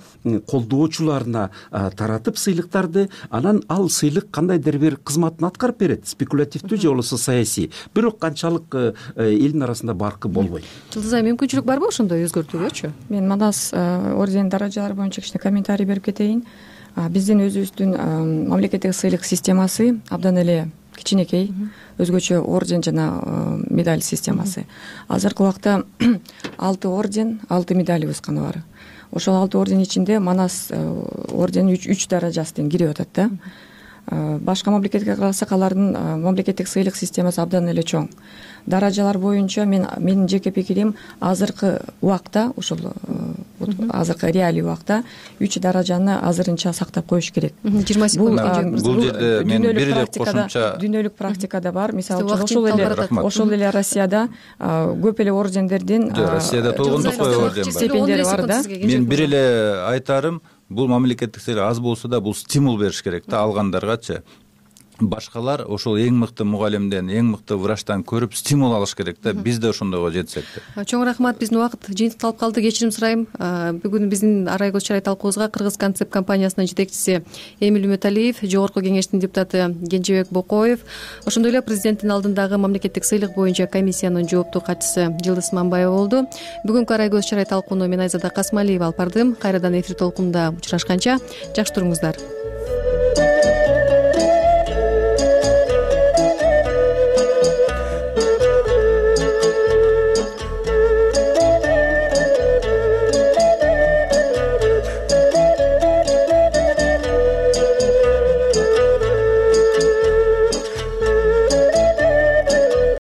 колдоочуларына таратып сыйлыктарды, анан ал сыйлык кандайдыр бир кызматын аткарып берет, спекулятивдүү же болбосо саясий. Бирок канчалык элдин арасында баркы болбойт. Жылдыз айым, мүмкүнчүлүк барбы ошондой өзгөртүүгөчү? Мен Манас орденин даражалары боюнча кичине комментарий берип кетейин. Биздин өзүбүздүн мамлекеттик сыйлык системасы абдан эле кичинекей, өзгөчө орден жана медаль системасы. Азыркы убакта 6 орден, 6 медалибиз гана бар. Ошол 6 орден ичинде Манас орденин 3 даражасы тең кирип атат да. башка мамлекетке карасак алардын мамлекеттик сыйлык системасы абдан эле чоң. Даражалар боюнча менин жеке пикирим азыркы убакта ушул азыркы реалий убакта 3 даражаны азырынча сактап коюш керек. 20 секунд. Бул жерде мен бир эле кошумча дүйнөлүк практикада бар. Мисалы үчүн ошол эле Россияда көп эле ордендердин Россияда толгондукпай орден стипендиялар бар да. Мен бир эле айтарым, бул мамлекеттик сыйлык аз болсо да бул стимул бериш керек да алгандаргачы. Башкалар ошол эң мыкты мугалимден, эң мыкты врачтан көрүп стимул алыш керек да. Биз да ошондойго жетсек деп. Чоң рахмат. Биздин убакыт жыйынтыкталып калды. Кечирим сурайм. Бүгүн биздин Арай көз чарай талкуубузга Кыргыз концепт компаниясынын жетекчиси Эмил Үмөталиев, Жогорку кеңештин депутаты Кенжебек Бокоев, ошондой эле президенттин алдындагы мамлекеттик сыйлык боюнча комиссиянын жооптуу катчысы Жылдыз Мамбаева болду. Бүгүнкү Арай көз чарай талкууну мен Айзада Касмалиева алып бардым. Кайрадан эфир толкунунда учурашканча жакшы туруңуздар.